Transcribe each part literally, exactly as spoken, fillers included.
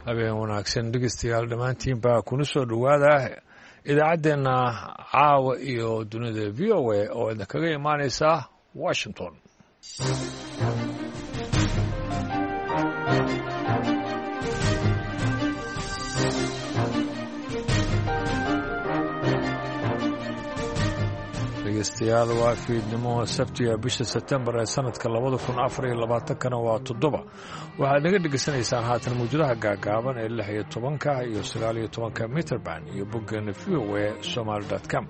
Habeen wanaagsan dhegeystayaal dhammaantiinbaa kuna soo dhowaada idaacaddeenna caawa iyo dunida V O A oo idinkaga imaanaysa Washington. Dhegeystayaal, waa fiidnimo Sabtiga, bisha Sebtembar ee sanadka labada kun afar iyo labaatankana waa toddoba. Waxaad naga dhegeysanaysaan haatan mawjadaha gaagaaban ee lix iyo tobanka iyo sagaal iyo tobanka mitrband iyo boggeena V O A somaali dot com.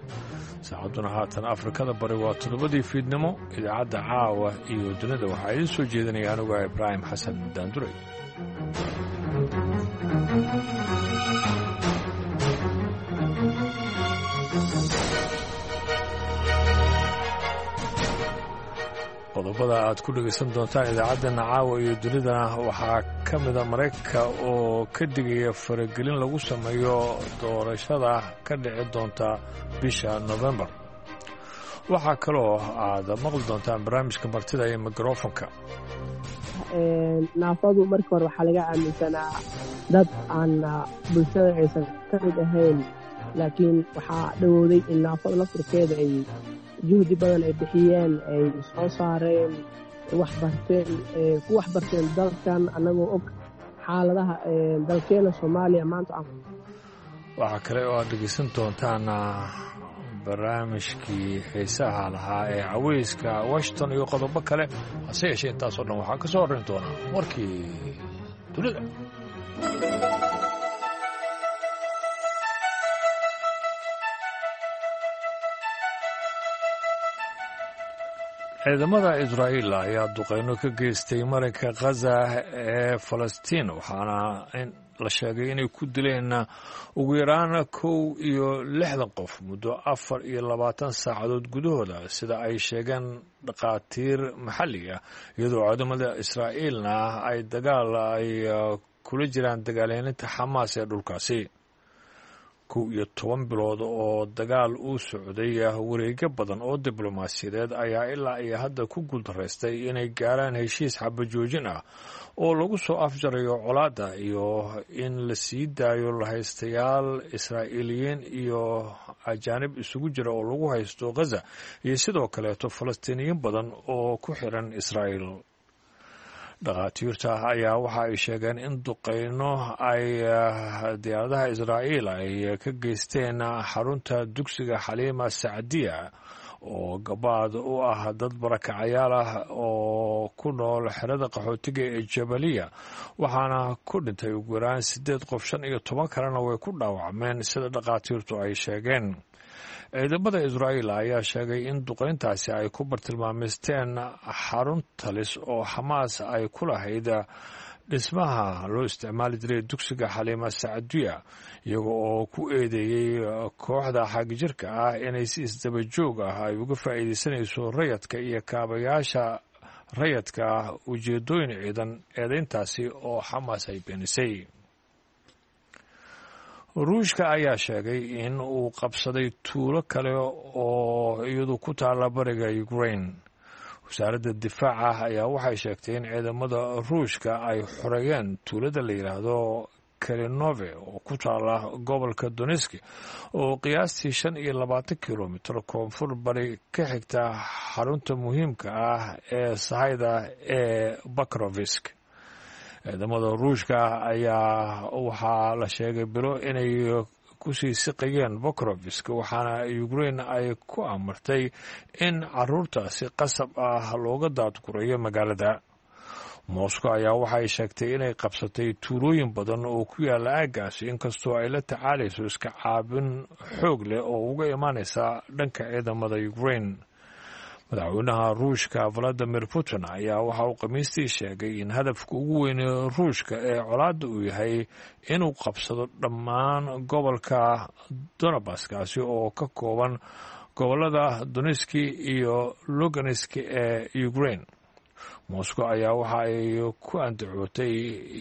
Saacadduna haatan Afrikada Bari waa toddobadii fiidnimo. Idaacadda caawa iyo dunida waxaa idiin soo jeedinaya anuga Ibraahim Xasan Daanduray. Qodobada aad ku dhegaysan doontaan idaacaddeenna caawa iyo dunidana waxaa ka mida Maraykanka oo ka digaya faragelin lagu sameeyo doorashada ka dhici doonta bisha Nofembar. Waxaa kaloo aad maqli doontaan barnaamijka martida iyo mikrofonka. Naafadu markii hore waxaa laga aaminsanaa dad aan bulshada aysan ka mid ahayn, laakiin waxaa dhowowday in naafada laftirkeeda ay juhdi badan ay bixiyeen, ay soo saareen, waxbarteen, ku waxbarteen dalkan, annagoo og xaaladaha dalkeena Soomaaliya maanta. Waxaa kale oo aad dhegeysan doontaan barnaamijkii xiisaha lahaa ee caweyska Washington iyo qodobo kale, hase yeeshee intaasoo dhan waxaa ka soo horrayn doonaa warkii dunida. Ciidamada Israa'iil ayaa duqeyno ka geystay marinka Khaza ee Falastiin, waxaana la sheegay inay ku dileen ugu yaraan kow iyo lixdan qof muddo afar iyo labaatan saacadood gudahooda, sida ay sheegeen dhakhaatiir maxalli ah, iyadoo ciidamada Israa'iilna ay dagaal ay kula jiraan dagaalyaninta Xamaas ee dhulkaasi. Kow iyo toban bilood oo dagaal uu socday, wareegyo badan oo diblomaasiyadeed ayaa ilaa iyo hadda ku guuldaraystay inay gaaraan heshiis xabajoojin ah oo lagu soo afjarayo colaadda iyo in la sii daayo lahaystayaal Israa'iiliyiin iyo ajaanib isugu jira oo lagu haysto Khaza, iyo sidoo kaleeto Falastiiniyiin badan oo ku xiran Israa'iil. Dhakhaatiirta ayaa waxa ay sheegeen in duqeyno ay diyaaradaha Israa'iil ay ka geysteen xarunta dugsiga Xaliima Sacdiya oo gabaad u ah dad barakacayaal ah oo ku nool xerada qaxootiga ee Jabaliya, waxaana ku dhintay ugu yaraan siddeed qof, shan iyo toban kalena way ku dhaawacmeen, sida dhakhaatiirtu ay sheegeen. Ciidamada Israa'iil ayaa sheegay in duqeyntaasi ay ku bartilmaameysteen xarun talis oo Xamaas ay ku lahayd dhismaha loo isticmaali jiray dugsiga Xaliima Sacdiya, iyaga oo ku eedeeyey kooxda xagjirka ah inay si isdaba joog ah ay uga faa'iideysanayso rayadka iyo kaabayaasha rayadka ah ujeedooyin ciidan, eedeyntaasi oo Xamaas ay beenisay. Ruushka ayaa sheegay in uu qabsaday tuulo kale oo iyadu ku taala bariga Ukraine. Wasaaradda difaaca ayaa waxay sheegtay in ciidamada Ruushka ay xoreeyeen tuulada la yidhaahdo Kalinove oo ku taala gobolka Doneski, oo qiyaastii shan iyo labaatan kilomitir koonfur bari ka xigta xarunta muhiimka ah ee sahayda ee Bakrovisk. Ciidamada Ruushka ayaa waxaa la sheegay bilo inay kusii siqayeen Bokrovisk, waxaana Ukraine ay ku amartay in caruurta si qasab ah looga daadgurayo magaalada. Moscow ayaa waxay sheegtay inay qabsatay tuulooyin badan oo ku yaala aaggaasi, inkastoo ay la tacaalayso iska caabin xoog leh oo uga imaanaysa dhanka ciidamada Ukraine. Madaxweynaha Ruushka Valadimir Putin ayaa waxa uu Khamiistii sheegay in hadafka ugu weyne Ruushka ee colaadda uu yahay inuu qabsado dhammaan gobolka Donabaskaasi oo ka kooban gobolada Doneski iyo Lugansk ee Ukraine. Moscow ayaa waxa ay ku andacootay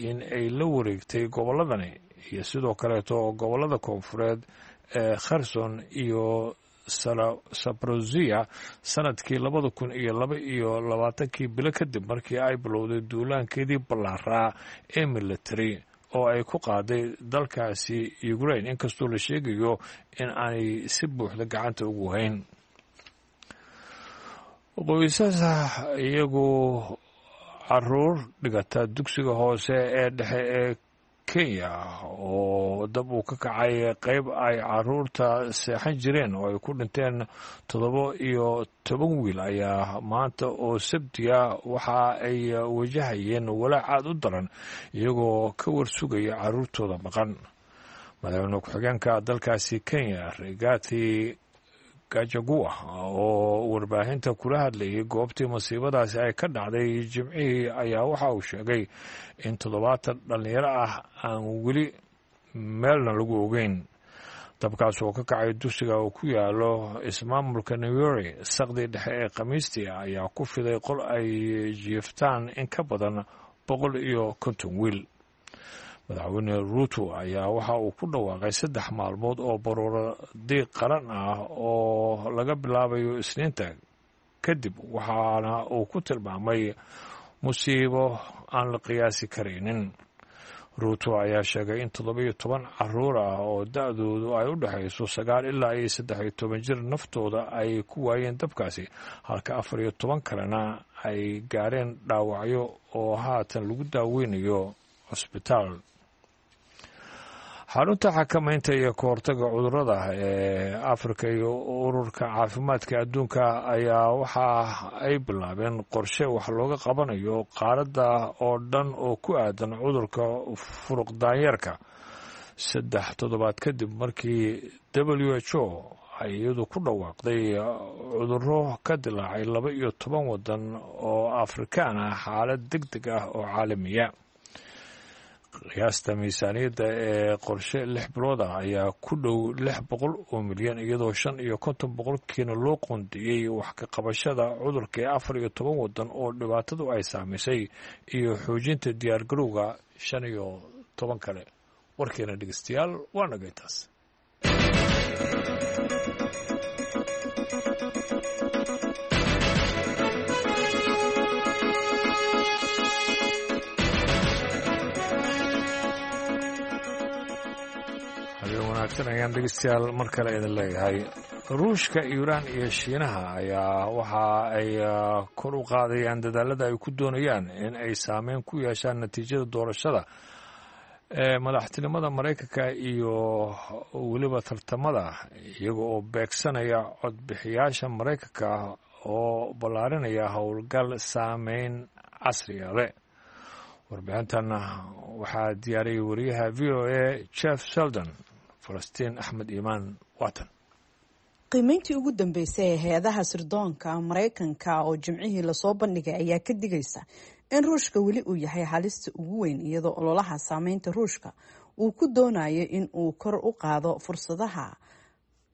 in ay la wareegtay gobolladani iyo sidoo kaleeto gobolada koonfureed ee Kherson iyo Sabrozia sanadkii labada kun iyo laba iyo labaatankii, bilo kadib markii ay bilowday duulaankeedii ballaaraa ee military oo ay ku qaaday dalkaasi Ukraine, inkastoo la sheegayo in aanay si buuxda gacanta ugu hayn. Qoysasa iyagu caruur dhigata dugsiga hoose ee dhexe ee Kenya oo dab uu ka kacay qeyb ay caruurta seexan jireen oo ay ku dhinteen toddoba iyo toban wiil ayaa maanta oo sabtiga waxa ay wajahayeen walaac aad u daran, iyagoo ka warsugaya caruurtooda maqan. Madaxweyne ku-xigeenka dalkaasi Kenya, Rigathi Gachagua, oo warbaahinta kula hadlayay goobtii masiibadaasi ay ka dhacday Jimcihii, ayaa waxa uu sheegay in toddobaatan dhallinyaro ah aan weli meelna lagu ogeyn. Dabkaas oo ka kacay dugsiga oo ku yaalo ismaamulka Nyeri saqdii dhexe ee Khamiistii ayaa ku fiday qol ay jiiftaan in ka badan boqol iyo konton wiil. Madaxweyne Ruuto ayaa waxa uu ku dhawaaqay saddex maalmood oo baruuro diiq qaran ah oo laga bilaabayo Isniinta kadib, waxaana uu ku tilmaamay musiibo aan la qiyaasi karaynin. Ruuto ayaa sheegay in toddoba iyo toban caruur ah oo da-doodu ay u dhexayso sagaal ilaa iyo saddex iyo toban jir naftooda ay ku waayeen dabkaasi, halka afar iyo toban kalena ay gaareen dhaawacyo oo haatan lagu daaweynayo cusbitaal. Xarunta xakamaynta iyo kahortaga cudurada ee Afrika iyo Ururka Caafimaadka Adduunka ayaa waxa ay bilaabeen qorshe wax looga qabanayo qaaradda oo dhan oo ku aadan cudurka furuq daanyeerka, saddex toddobaad kadib markii W H O ay iyadu ku dhawaaqday cudurro ka dilaacay laba iyo toban wadan oo Afrikaan ah xaalad deg deg ah oo caalamiya. Qiyaasta miisaaniyadda ee qorshe lix bilood ah ayaa ku dhow lix boqol oo milyan, iyadoo shan iyo konton boqolkiina loo qoondeeyey wax ka qabashada cudurka ee afar iyo toban wadan oo dhibaatadu ay saamaysay iyo xoojinta diyaargarowga shan iyo toban kale. Warkeena dhegeystayaal waa naga intaas. Habeen wanaagsan ayaan dhegeystayaal mar kale idin leeyahay. Ruushka, Iiraan iyo Shiinaha ayaa waxa ay kor u qaadayaan dadaalada ay ku doonayaan in ay saameyn ku yeeshaan natiijada doorashada ee madaxtinimada Maraykanka iyo weliba tartamada, iyaga oo beegsanaya codbixiyaasha Maraykanka oo ballaarinaya howlgal saameyn casriga leh. Warbixintan waxaa diyaariyay wariyaha V O A Jeff Seldon. Falastiin Axmed Iimaan watan. Qiimeyntii ugu dambeysay ee hay-adaha sirdoonka Maraykanka oo Jimcihii lasoo bandhigay ayaa ka digaysa in Ruushka weli uu yahay halista ugu weyn, iyadoo ololaha saameynta Ruushka uu ku doonayo in uu kor u qaado fursadaha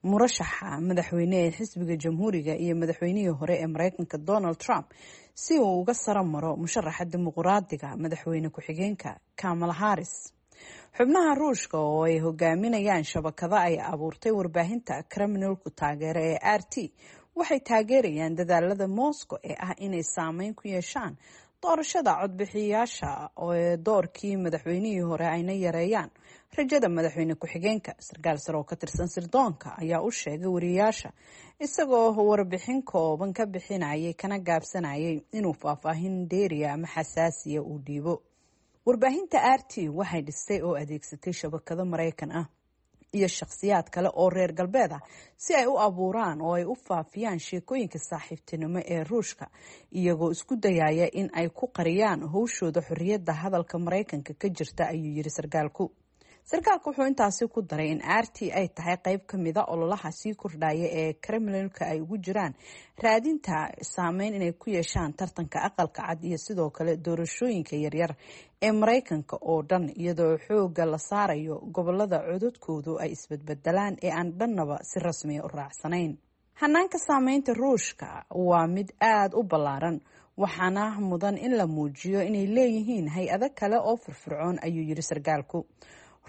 murashaxa madaxweyne ee xisbiga Jamhuuriga iyo madaxweynihii hore ee Mareykanka Donald Trump si uu uga saro maro musharaxa Dimuqraadiga, madaxweyne ku-xigeenka Kamala Harris. Xubnaha Ruushka oo ay hogaaminayaan shabakada ay abuurtay warbaahinta Kremlinku taageera ee R T waxay taageerayaan dadaalada Moscow ee ah inay saameyn ku yeeshaan doorashada codbixiyaasha ee doorkii madaxweynihii hore ayna yareeyaan rajada madaxweyne ku-xigeenka. Sarkaal sare oo ka tirsan sirdoonka ayaa u sheegay wariyaasha, isagoo warbixin kooban ka bixinayay kana gaabsanayay inuu faahfaahin dheeriya ama xasaasiya uu dhiibo: "Warbaahinta R T waxay dhistay oo adeegsatay shabakado Maraykan ah iyo shakhsiyaad kale oo reer galbeed ah si ay u abuuraan oo ay u faafiyaan sheekooyinka saaxiibtinimo ee Ruushka, iyagoo isku dayaya in ay ku qariyaan howshooda xorriyadda hadalka Maraykanka ka jirta," ayuu yiri sarkaalku. Sarkaalku wuxuu intaasi ku daray in R T ay tahay qeyb ka mida ololaha sii kordhaya ee Kremlinka ay ugu jiraan raadinta saameyn inay ku yeeshaan tartanka Aqalka Cad iyo sidoo kale doorashooyinka yaryar ee Maraykanka oo dhan, iyadoo xooga la saarayo gobolada codadkoodu ay isbedbedelaan ee aan dhannaba si rasmiya u raacsanayn. Hanaanka saameynta Ruushka waa mid aada u ballaaran, waxaana mudan in la muujiyo inay leeyihiin hay-ado kale oo firfircoon, ayuu yiri sarkaalku.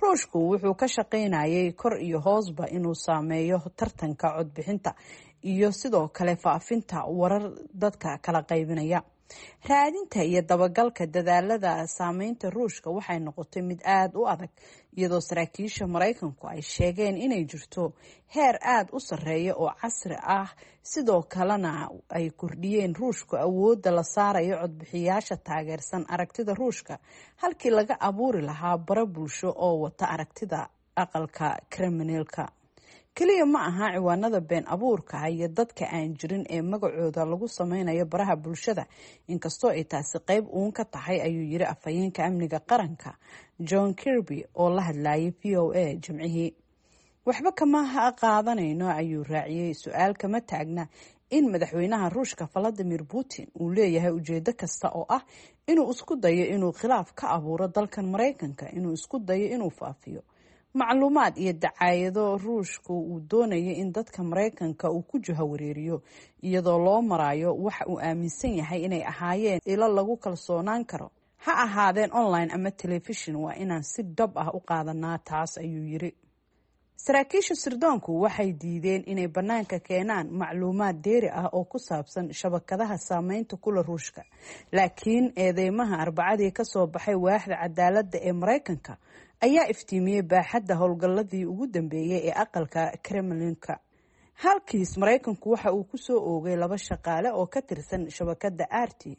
Ruushku wuxuu ka shaqaynayay kor iyo hoosba inuu saameeyo tartanka codbixinta iyo sidoo kale faafinta warar dadka kala qaybinaya. Raadinta iyo dabagalka dadaalada saameynta Ruushka waxay noqotay mid aada u adag, iyadoo saraakiisha Maraykanku ay sheegeen inay jirto heer aada u sarreeya oo casri ah, sidoo kalena ay kordhiyeen Ruushku awoodda la saarayo codbixiyaasha taageersan aragtida Ruushka halkii laga abuuri lahaa bara bulsho oo wata aragtida aqalka Kremlinka. Keliya ma aha ciwaanada been abuurka iyo dadka aan jirin ee magacooda lagu sameynayo baraha bulshada, inkastoo ay taasi qeyb uun ka tahay, ayuu yiri afhayeenka amniga qaranka John Kirby oo la hadlayay V O A Jimcihii. Waxba kama qaadanayno, ayuu raaciyey. Su-aal kama taagna in madaxweynaha Ruushka Valadimir Putin uu leeyahay ujeedo kasta oo ah inuu isku dayo inuu khilaaf ka abuuro dalkan Maraykanka, inuu isku dayo inuu faafiyo macluumaad iyo dacaayado Ruushku uu doonayo in dadka Maraykanka uu ku jahawareeriyo, iyadoo loo marayo waxa uu aaminsan yahay inay ahaayeen ilo lagu kalsoonaan karo, ha ahaadeen online ama telefishin. Waa inaan si dhab ah u qaadanaa taas, ayuu yiri. Saraakiisha sirdoonku waxay diideen inay bannaanka keenaan macluumaad dheeri ah oo ku saabsan shabakadaha saameynta kula Ruushka, laakiin eedeymaha Arbacadii kasoo baxay waaxda cadaaladda ee Maraykanka ayaa iftiimiyey baaxadda howlgalladii ugu dambeeyey ee aqalka Kremlinka. Halkiis Maraykanku waxa uu kusoo oogay laba shaqaale oo ka tirsan shabakadda R T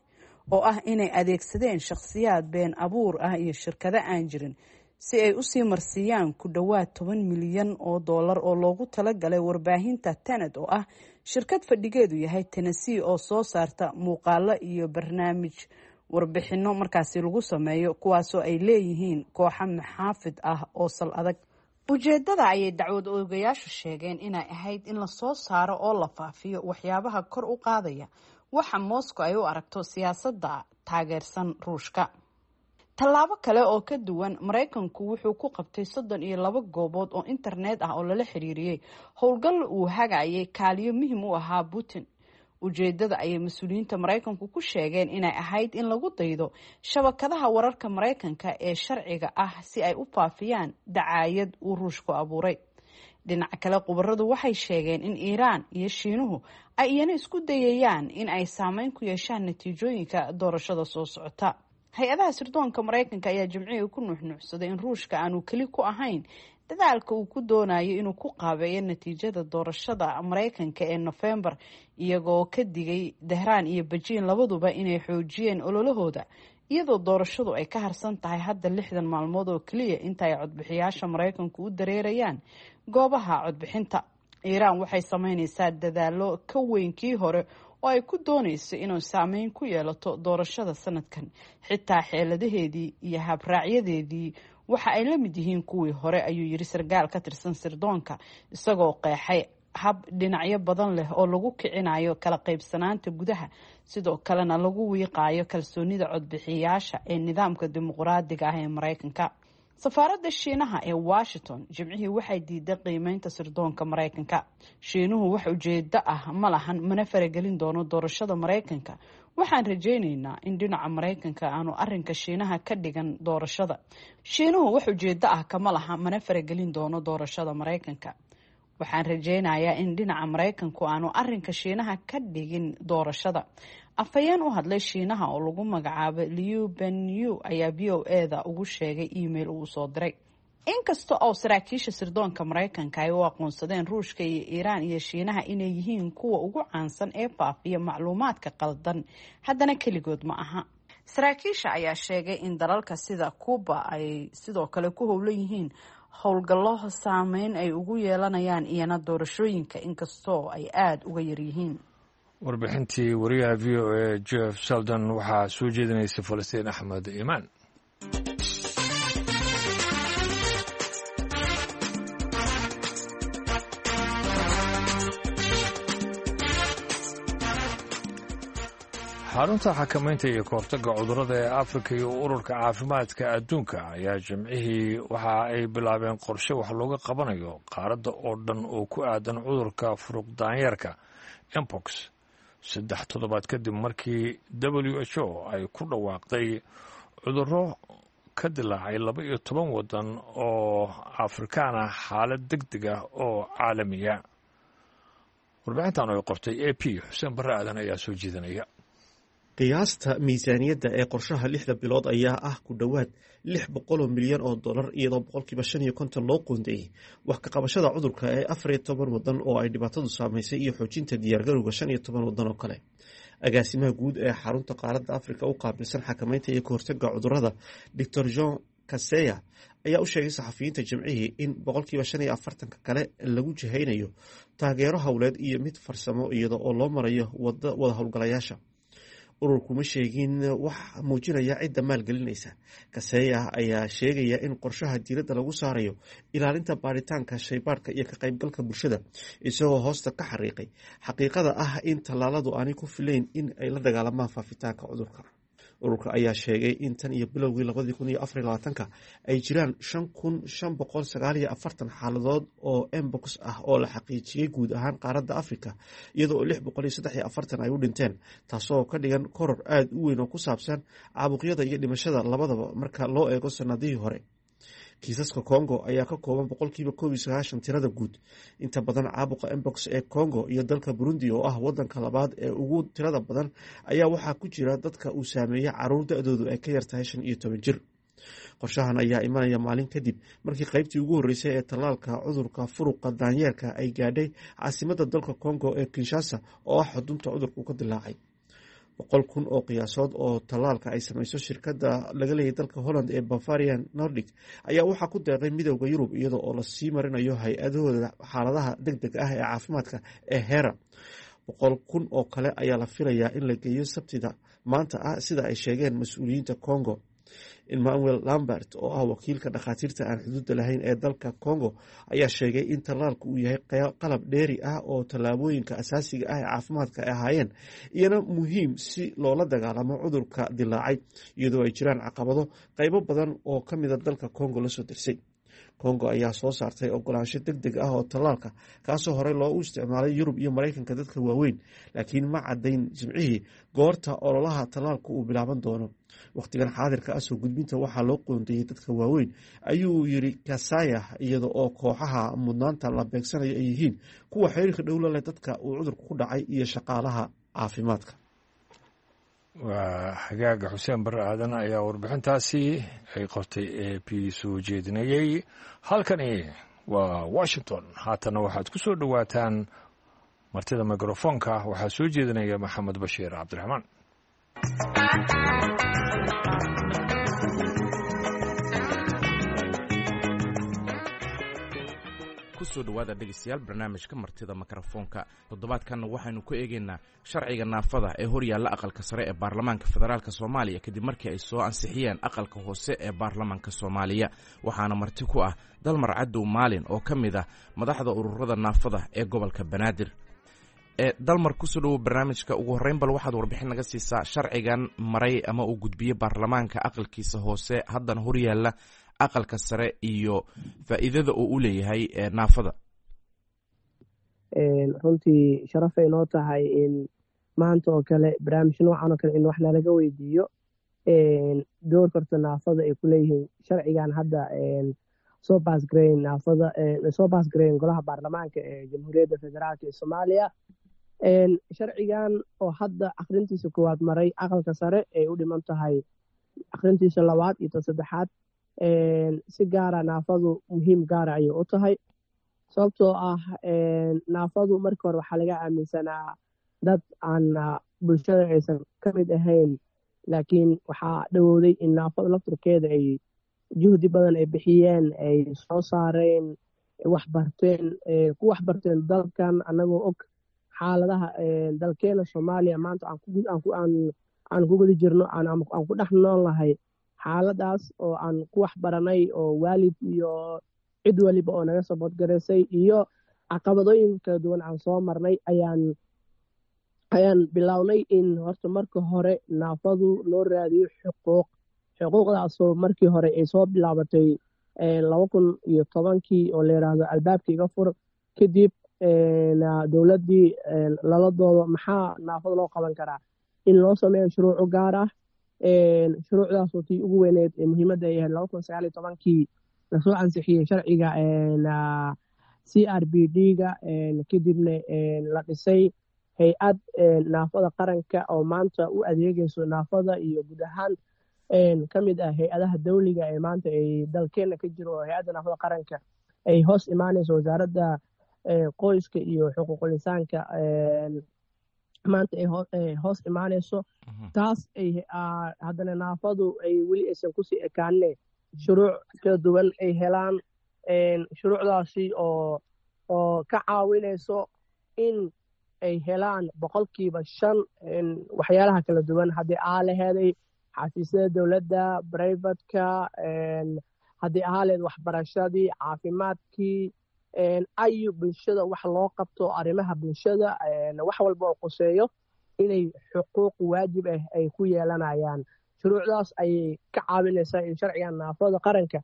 oo ah inay adeegsadeen shakhsiyaad been abuur ah iyo shirkado aan jirin si ay usii marsiiyaan ku dhowaad toban milyan oo doolar oo loogu talagalay warbaahinta Tenet, oo ah shirkad fadhigeedu yahay Tennessee oo soo saarta muuqaalo iyo barnaamij warbixino markaasi lagu sameeyo, kuwaasoo ay leeyihiin kooxo maxaafid ah oo sal adag. Ujeedada ayay dacwad oogayaashu sheegeen inay ahayd in lasoo saaro oo la faafiyo waxyaabaha kor u qaadaya waxa Moscow ay u aragto siyaasadda taageersan Ruushka. Tallaabo kale oo ka duwan, Maraykanku wuxuu ku qabtay soddon iyo laba goobood oo internet ah oo lala xiriiriyey howlgal uu hagayay kaaliyo muhim u ahaa Putin. Ujeedada ayay mas-uuliyiinta Maraykanku ku sheegeen inay ahayd in lagu daydo shabakadaha wararka Maraykanka ee sharciga ah si ay u faafiyaan dacaayad uu Ruushku abuuray. Dhinaca kale, khubaradu waxay sheegeen in Iiraan iyo Shiinuhu ay iyana isku dayayaan in ay saameyn ku yeeshaan natiijooyinka doorashada soo socota. Hay-adaha sirdoonka Maraykanka ayaa Jimcihii ku nuuxnuuxsaday in Ruushka aanu keli ku ahayn dadaalka uu ku doonayo inuu ku qaabeeyo natiijada doorashada Maraykanka ee Nofembar, iyagoo ka digay Dahraan iyo Bejiin labaduba inay xoojiyeen ololahooda, iyadoo doorashadu ay ka harsan tahay hadda lixdan maalmood oo keliya inta ay codbixiyaasha Maraykanku u dareerayaan goobaha codbixinta. Iiraan waxay sameyneysaa dadaalo ka weyn kii hore oo ay ku doonayso inuu saameyn ku yeelato doorashada sanadkan. Xitaa xeeladaheedii iyo habraacyadeedii waxa ay la mid yihiin kuwii hore, ayuu yiri sarkaal ka tirsan sirdoonka, isagoo qeexay hab dhinacyo badan leh oo lagu kicinayo kala qaybsanaanta gudaha, sidoo kalena lagu wiiqaayo kalsoonida codbixiyaasha ee nidaamka dimuqraadiga ah ee Maraykanka. Safaaradda Shiinaha ee Washington Jimcihii waxay diiday qiimeynta sirdoonka Maraykanka. Shiinuhu wax ujeedo ah ma lahan, mana faragelin doono doorashada Maraykanka. Waxaan rajaynaynaa in dhinaca Maraykanka aanu arinka Shiinaha ka dhigan doorashada. Shiinuhu wax ujeedo ah kama laha, mana faragelin doono doorashada Maraykanka. Waxaan rajaynayaa in dhinaca Maraykanku aanu arinka Shiinaha ka dhigin doorashada. Afhayeen u hadlay Shiinaha oo lagu magacaabay Liu Benyu ayaa V O A da ugu sheegay email uu soo diray: Inkasta oo saraakiisha sirdoonka Maraykanka ay u aqoonsadeen Ruushka iyo Iiraan iyo Shiinaha inay yihiin kuwa ugu caansan ee faafiya macluumaadka qaldan, haddana keligood ma aha. Saraakiisha ayaa sheegay in dalalka sida Cuba ay sidoo kale ku howlan yihiin howlgallo saameyn ay ugu yeelanayaan iyana doorashooyinka, inkastoo ay aada uga yaryihiin. Warbixintii wariyaha V O A Jeff Sheldon waxaa soo jeedinaysa Falastiin Axmed Iimaan. Xarunta xakamaynta iyo kahortagga cudurrada ee Afrika iyo Ururka Caafimaadka Adduunka ayaa Jimcihii waxa ay bilaabeen qorshe wax looga qabanayo qaaradda oo dhan oo ku aadan cudurka furuq daanyeerka, mpox, saddex toddobaad kadib markii W H O ay ku dhawaaqday cudurro ka dilaacay laba iyo toban waddan oo Afrikaan ah xaalad deg deg ah oo caalamiya. Warbixintan ay qortay A P, Xuseen Barre Aadan ayaa soo jeedinaya. Qiyaasta miisaaniyadda ee qorshaha lixda bilood ayaa ah ku dhowaad lix boqoloo milyan oo dollar, iyadoo boqolkiiba shan iyo konton loo qoondeeyey wax ka qabashada cudurka ee afar iyo toban wadan oo ay dhibaatadu saameysay iyo xoojinta diyaargarowga shan iyo toban wadan oo kale. Agaasimaha guud ee xarunta qaaradda Afrika u qaabilsan xakameynta iyo kahortaga cudurada, Doctor Jean Kaseya, ayaa u sheegay saxafiyiinta Jimcihii in boqolkiiba shan iyo afartanka kale lagu jihaynayo taageero howleed iyo mid farsamo, iyada oo loo marayo wada howlgalayaasha. Ururku ma sheegin wax muujinaya cidda maalgelinaysa. Kaseya ayaa sheegaya in qorshaha diiradda lagu saarayo ilaalinta baaritaanka shaybaadhka iyo ka qaybgalka bulshada, isagoo hoosta ka xariiqay xaqiiqada ah in tallaaladu aanay ku filayn in ay la dagaalamaan faafitaanka cudurka. Ururka ayaa sheegay in tan iyo bilowgii labadii kun iyo afar iyo labaatanka ay jiraan shan kun shan boqol sagaal iyo afartan xaaladood oo mpox ah oo la xaqiijiyey guud ahaan qaaradda Afrika, iyadoo oo lix boqol iyo saddex iyo afartan ay u dhinteen, taasoo ka dhigan koror aada u weyn oo ku saabsan caabuqyada iyo dhimashada labadaba marka loo eego sanadihii hore. Kiisaska Congo ayaa ka kooban boqolkiiba koob iyo sagaashan tirada guud. Inta badan caabuqa mpox ee Congo iyo dalka Burundi, oo ah wadanka labaad ee ugu tirada badan, ayaa waxaa ku jira dadka uu saameeyey caruur da-doodu ay ka yartahay shan iyo toban jir. Qorshahan ayaa imanaya maalin kadib markii qaybtii ugu horreysay ee tallaalka cudurka furuqa daanyeerka ay gaadhay caasimadda dalka Congo ee Kinshasa, oo ah xudunta cudurku ka dilaacay. Boqol kun oo qiyaasood oo tallaalka ay samayso shirkadda laga leeyay dalka Holland ee Bavarian Nordic ayaa waxaa ku deeqay Midowda Yurub, iyada oo lasii marinayo hay-adahooda xaaladaha deg deg ah ee caafimaadka ee HERA. Boqol kun oo kale ayaa la filayaa in la geeyo Sabtida maanta ah, sida ay sheegeen mas-uuliyiinta Congo. Emmanuel Lambert, oo ah wakiilka Dhakhaatiirta Aan Xuduudda Lahayn ee dalka Congo, ayaa sheegay in tallaalku uu yahay qalab dheeri ah oo tallaabooyinka asaasiga ah ee caafimaadka ay ahaayeen, iyana muhiim si loola dagaalamo cudurka dilaacay, iyadoo ay jiraan caqabado qaybo badan oo ka mida dalka Congo lasoo dersay. Congo ayaa soo saartay ogolaansho deg deg ah oo tallaalka, kaasoo horey loogu isticmaalay Yurub iyo Maraykanka dadka waaweyn, laakiin ma caddayn Jimcihii goorta ololaha tallaalku uu bilaaban doono. Wakhtigan xaadirka ah soo gudbinta waxaa loo qoondeeyey dadka waaweyn, ayuu yiri Kasaya, iyada oo kooxaha mudnaanta la beegsanayo ay yihiin kuwa xiriirka dhowla leh dadka uu cudurku ku dhacay iyo shaqaalaha caafimaadka. Waa xagaaga. Xuseen Barre Aadan ayaa warbixintaasi ay qortay A P soo jeedinayey. Halkani waa Washington. Haatana waxaad ku soo dhowaataan martida mikrofoonka. Waxaa soo jeedinaya Maxamed Bashiir Cabdiraxmaan. Kusoo dhawaada, dhegeystayaal, barnaamijka martida mikrofoonka. Toddobaadkanna waxaynu ku eegaynaa sharciga naafada ee horyaalla aqalka sare ee baarlamaanka federaalk Soomaaliya, kadib markii ay soo ansixiyeen aqalka hoose ee baarlamaanka Soomaaliya. Waxaana marti ku ah Dalmar Cadow Maalin, oo ka mid ah madaxda ururada naafada ee gobolka Banaadir. Dalmar, kusoo dhawow barnaamijka. Ugu horreyn, bal waxaad warbixin naga siisaa sharcigan maray ama uu gudbiyey baarlamaanka aqalkiisa hoose, haddana horyaalla aqalka sare, iyo faa'iidada uu u leeyahay naafada. Runtii sharafay noo tahay in maanta oo kale barnaamij noocan oo kale in wax nalaga weydiiyo doorka horta naafada ay ku leeyihiin sharcigan hadda soo baasgareyn naafada, soo baasgareyn golaha baarlamaanka ee Jamhuuriyadda Federaalka ee Soomaaliya. Sharcigan oo hadda akhrintiisa koowaad maray aqalka sare, ay u dhiman tahay akhrintiisa labaad iyo tan saddexaad, si gaara naafadu muhiim gaara ayay u tahay, sababtoo ah naafadu markii hore waxaa laga aaminsanaa dad aan bulshada aysan ka mid ahayn, laakiin waxaa dhowowday in naafadu lafturkeeda ay juhdi badan ay bixiyeen, ay soo saareen, waxbarteen, ku waxbarteen dalkan, annagoo og xaaladaha dalkeena Soomaaliya maanta aan ku guda jirno, aan ku dhex nool nahay, xaaladaas oo aan ku waxbaranay, oo waalid iyo cid waliba oo naga saboodgaraysay iyo caqabadooyin kala duwan aan soo marnay, ayaan ayaan bilownay in horta marka hore naafadu loo raadiyo xuquuq. Xuquuqdaasoo markii hore ay soo bilaabatay laba kun iyo tobankii oo la yidhaahdo Albaabka Iga Fur. Kadib dowladdii lala doodo maxaa naafada loo qaban karaa, in loo sameeyo shuruuco gaar ah. Shuruucdaasoo tii ugu weyneed ee muhiimadda ay ahayd laba kun sagaal iyo tobankii lasoo ansixiyey sharciga C R P D-ga, kadibna la dhisay Hay-ad naafada qaranka oo maanta u adeegayso naafada iyo guud ahaan ka mid ah hay-adaha dawliga ee maanta ay dalkeena ka jiro, oo hay-adda naafada qaranka ay hoos imaanayso wasaaradda qoyska iyo xuquuqul insaanka maanta ay hoos imaanayso. Taas ay haddana naafadu ay weli aysan kusii ekaanine shuruuc kala duwan ay helaan, shuruucdaasi oo oo ka caawinayso in ay helaan boqolkiiba shan waxyaalaha kala duwan, haddii aa laheeday xafiisyada dowladda, brivatka, haddii ahaa lehed waxbarashadii, caafimaadkii, ayu bulshada wax loo qabto, arrimaha bulshada wax walba oo quseeyo inay xuquuq waajib ah ay ku yeelanayaan. Shuruucdaas ayay ka caawinaysaa in sharcigan naafada qaranka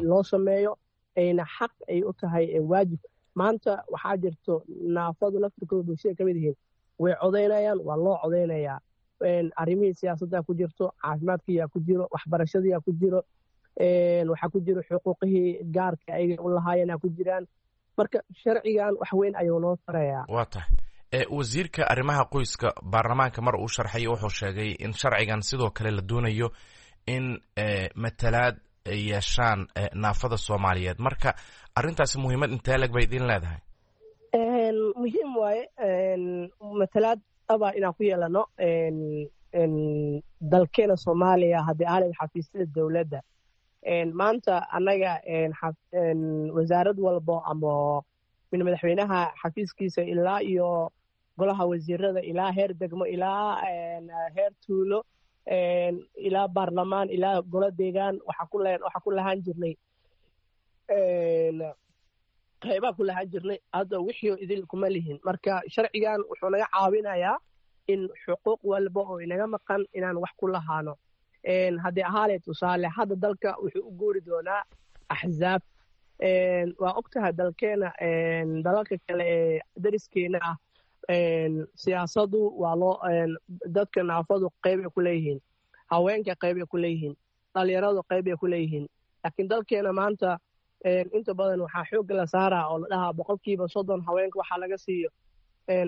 loo sameeyo, ayna xaq ay u tahay waajib. Maanta waxaa jirto naafadu laftirkooda bulshada ka mid yihiin, way codaynayaan, waa loo codaynayaa, arrimihii siyaasadda ku jirto, caafimaadkiyaa ku jiro, waxbarashadiyaa ku jiro, waxaa ku jiro xuquuqihii gaarka ayaga u lahaayeenaa ku jiraan. Marka sharcigan wax weyn ayuu noo tarayaa. Waa tahay. Wasiirka arrimaha qoyska baarlamaanka mar uu sharxay wuxuu sheegay in sharcigan sidoo kale la doonayo in matalaad ay yeeshaan naafada Soomaaliyeed. Marka arrintaasi muhiimad intee leg bay idin leedahay? Muhiim waaye matalaad dhaba inaan ku yeelano dalkeena Soomaaliya, haddii aalid xafiisyada dowladda. Maanta annaga wasaarad walbo ama min madaxweynaha xafiiskiisa ilaa iyo golaha wasiirada, ilaa heer degmo, ilaa heer tuulo, ilaa baarlamaan, ilaa golo deegaan, waxaa ku lahaan jirnay qaybaa ku lahaan jirnay. Hadda wixii idil kuma lihin. Marka sharcigan wuxuu naga caawinayaa in xuquuq walba oo inaga maqan inaan wax ku lahaano. Haddii ahaale tusaale, hadda dalka wuxuu u guuri doonaa axzaab. Waa og tahay dalkeena dalalka kale ee dariskeena ah siyaasadu waa loo, dadka naafadu qeybay ku leeyihiin, haweenka qeybay ku leeyihiin, dhalinyaradu qeybay ku leeyihiin. Laakiin dalkeena maanta inta badan waxaa xoogga la saaraa oo la dhahaa boqolkiiba soddon haweenka waxaa laga siiyo,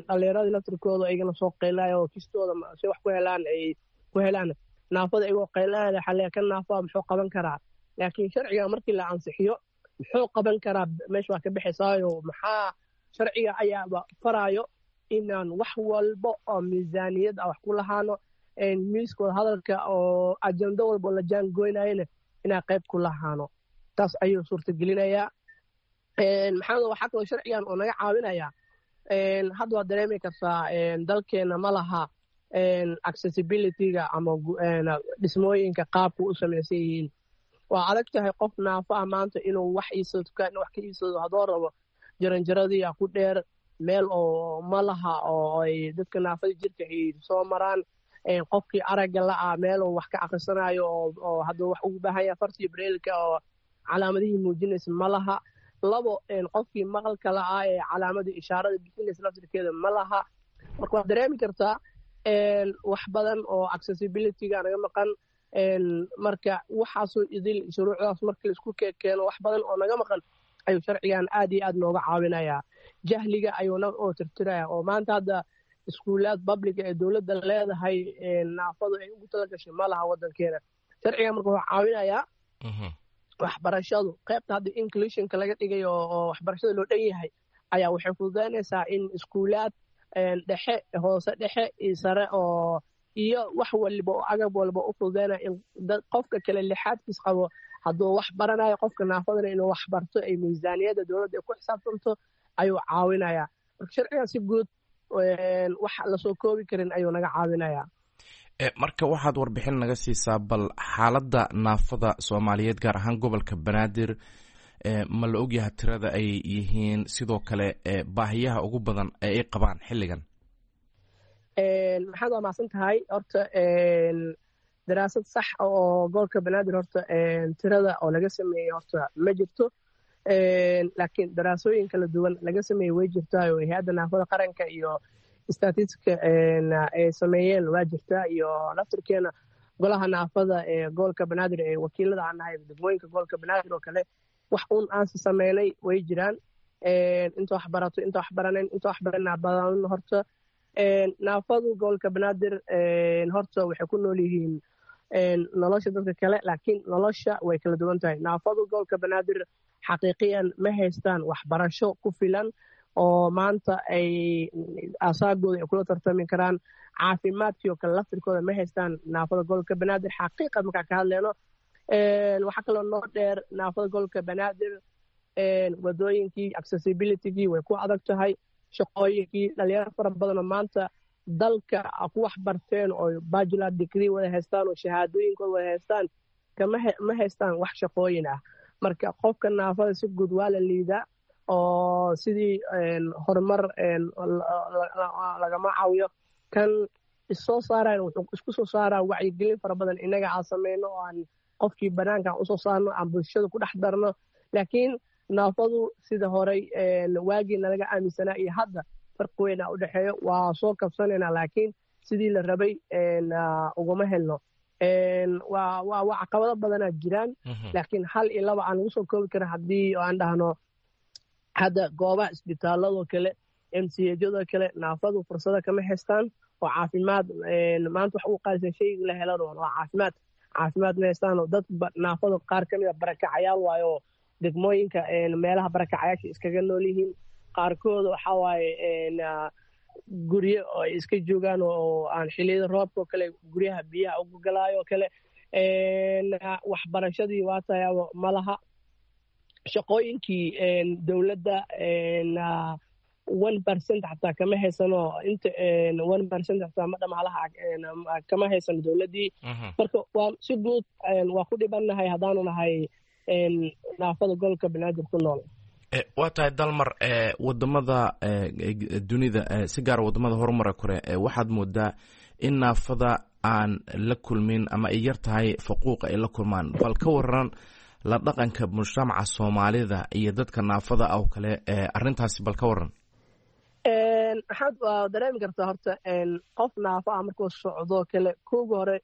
dhalinyaradii laftirkooda iyagana soo qaylayo oo kistooda si wax ku helaan ay ku helaan. Naafada iyagoo qaylanaya waxaa leeyahay kan naafaa muxuu qaban karaa? Laakiin sharciga markii la ansixiyo muxuu qaban karaa meesha waa ka bixisaayo. Maxaa sharciga ayaaba faraayo inaan wax walba oo miisaaniyad ah wax ku lahaano, miiskooda hadalka oo ajando walba oo la jaangoynayana inaan qayb ku lahaano. Taas ayuu suurtagelinayaa. Maxamed, waxaa kaloo sharcigan oo naga caawinayaa, hadda waad dareemi kartaa dalkeena ma laha accessibility-ga ama dhismooyinka qaabka u samaysan yihiin. Waa adag tahay qof naafo ah maanta inuu wax iibsado, dukaan wax ka iibsado haddoo rabo, jaranjaradiiyaa ku dheer, meel oo ma laha oo ay dadka naafada jirka ay soo maraan. Qofkii aragga la-ah meel oo wax ka akhrisanayo oo hadduu wax ugu baahan yahay fartii breelka oo calaamadihii muujinaysa ma laha. Labo, qofkii maqalka la-ah ee calaamadii ishaarada bixinaysa laftirkeeda ma laha. Marka waad dareemi kartaa wax badan oo accessibility-ga naga maqan. Marka waxaasoo idil shuruucdaas markii laisku keeno wax badan oo naga maqan ayuu sharcigan aad iyo aad nooga caawinayaa. Jahliga ayuuna oo tirtiraya oo maanta hadda iskuulaad publica ee dowladda leedahay naafadu ay ugu tala gashay ma laha waddankeena. Sharcigan marka wuxuu caawinayaa waxbarashadu qaybta hadda inclusionka laga dhigayo oo waxbarashada loo dhan yahay ayaa waxay fududaynaysaa in iskuulaad dhexe, hoose dhexe iyo sare oo iyo wax waliba oo agab walba u fududaynaya in qofka kale lixaadkiis qabo hadduu wax baranayo, qofka naafadana inuu wax barto ay miisaaniyadda dowladda ay ku xisaabtanto ayuu caawinayaa. Marka sharcigan si guud wax lasoo koobi karin ayuu naga caawinayaa. Marka waxaad warbixin naga siisaa bal xaaladda naafada Soomaaliyeed, gaar ahaan gobolka Banaadir, ma la ogyaha tirada ay yihiin, sidoo kale baahiyaha ugu badan ee ay qabaan xilligan? Maxaad waa mahadsan tahay. Horta daraasad sax oo gobolka Banaadir horta tirada oo laga sameeyey horta ma jirto, laakiin daraasooyin kala duwan laga sameeyey way jirtaa oo hay-adda naafada qaranka iyo statistika ay sameeyeen waa jirtaa, iyo laftirkeena golaha naafada ee gobolka Banaadir ee wakiilada aan nahay degmooyinka gobolka Banaadir oo kale wax uun aansi sameynay way jiraan. Inta wax barato, inta wax baranayn, inta wax baranaa badan horta. Naafadu gobolka Banaadir horta waxay ku nool yihiin nolosha dadka kale, laakiin nolosha way kala duwan tahay. Naafadu gobolka Banaadir xaqiiqiyan ma haystaan waxbarasho ku filan oo maanta ay asaagooda ay kula tartami karaan. Caafimaadkii oo kale laftirkooda ma haystaan naafada gobolka Banaadir xaqiiqad markaa ka hadleyno. Waxaa kaloo noo dheer naafada gobolka Banaadir wadooyinkii accessibilitygii way ku adag tahay, shaqooyinkii dhalinyaro fara badanoo maanta dalka ku wax barteen oo bachelor degree wada haystaan oo shahaadooyinkooda wada haystaan kama ma haystaan wax shaqooyin ah. Marka qofka naafada si guud waa la liidaa oo sidii horumar lagama caawiyo. Kan issoo saarayan wuxuu isku soo saaraa wacyigelin fara badan innaga aan sameyno oo aan qofkii banaanka aan usoo saarno, aan bulshada ku dhex darno. Laakiin naafadu sida horey waagii nalaga aaminsanaa iyo hadda farqi weyn aa u dhexeeyo. Waa soo kabsanaynaa, laakiin sidii la rabay uguma helno. Waa waa caqabado badanaa jiraan, laakiin hal iyo laba aan lagu soo koobi karin. Haddii aan dhahno hadda goobaha isbitaaladoo kale, M C H-yadoo kale, naafadu fursado kama haystaan oo caafimaad. Maanta wax ugu qaalisan shayga la helan waa caafimaad. Caafimaad ma haystaan oo dad naafadu qaar ka mid a barakacayaal waayo, degmooyinka meelaha barakacayaasha iskaga nool yihiin. Qaarkood waxaa waaye guryo oo ay iska joogaan oo aan xilliyada roobka oo kale guryaha biyaha ugu galaayo oo kale. Waxbarashadii waa tayaabo ma laha. Shaqooyinkii dowladda one percent xataa kama haysano, inta one percent xataa ma dhamalaha kama haysano dowladdii. Marka waa si guud waa ku dhibannahay haddaanu nahay naafada gobolka Banaadir ku nool. Waa tahay Dalmar, wadamada dunida, si gaara wadamada horumara kore, waxaad moodaa in naafada aan la kulmin ama ay yar tahay faquuqa ay la kulmaan. Bal ka waran la dhaqanka mujtamaca Soomaalida iyo dadka naafada ah oo kale, arrintaasi bal ka waran. Maxaad waa dareemi kartaa horta qof naafo ah markuu socdoo kale, kooga hore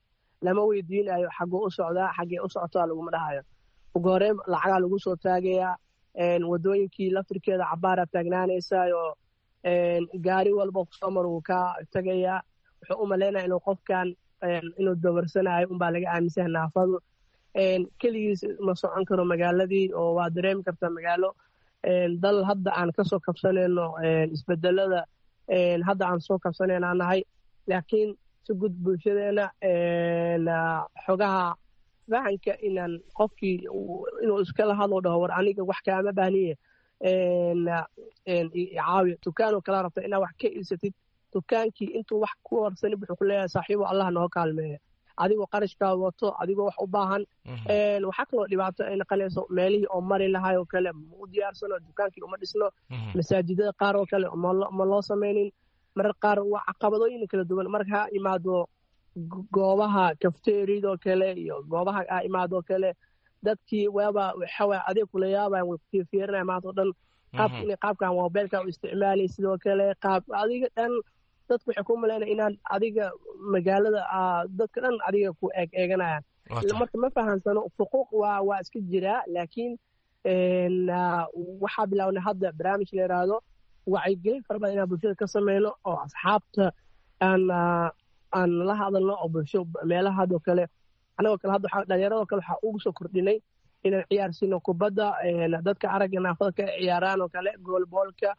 lama weydiinayo xagguu u socdaa, xaggee u socotaa laguma dhahayo. Ugu hore lacagaa lagu soo taagayaa, wadooyinkii laftirkeeda cabaaraa taagnaanaysaayo, gaari walba kusoo mar wuu ka tagayaa. Wuxuu u malaynaya inuu qofkan inuu dawarsanayo unbaa laga aaminsanyahay. Naafadu keligiis ma socon karo magaaladii, oo waa dareemi kartaa magaalo dal hadda aan kasoo kabsanayno isbedelada hadda aan soo kabsanayna nahay. Laakiin si guud bulshadeena xogaha fahanka inaan qofkii inuu iskala hadlo dhaho war aniga wax kaama baahniye caawiyo, dukaanoo kala rabta inaad wax ka iibsatid, dukaankii intuu wax ku warsanin wuxuu ku leeyahay saaxiibo Allah noo kaalmeeya, adigoo qarashkaa wato, adigoo wax u baahan. Waxaa kaloo dhibaato ay naqanayso meelihii oo mari lahay oo kale ma u diyaarsano, dukaankii uma dhisno, masaajidada qaar oo kale ma loo samaynin. Marar qaar waa caqabadooyin kala duwan marka ha imaado goobaha kafteeridoo kale iyo goobaha ha imaadoo kale, dadkii waaba waxawaa adeeg kula yaabayan, way kufiirfiirinaya maanta oo dhan qaabka inay qaabkan mobeelka u isticmaalay sidoo kale qaab adiga dhan dadku waxay ku malaynaya inaan adiga magaalada dadka dhan adiga ku eeg eeganayaan. Marka ma fahansano fuquuq waa waa iska jiraa, laakiin waxaa bilawnay hadda barnaamij la yidhaahdo wacyigelin fara badan inaan bulshada ka sameyno oo asxaabta aan aan la hadalno oo bulsho meelaha hadoo kale anagoo kale hadda dhalinyaradoo kale waxaa ugu soo kordhinay inaan ciyaarsiino kubadda dadka aragga naafada ka ciyaaraan oo kale, goolboolka,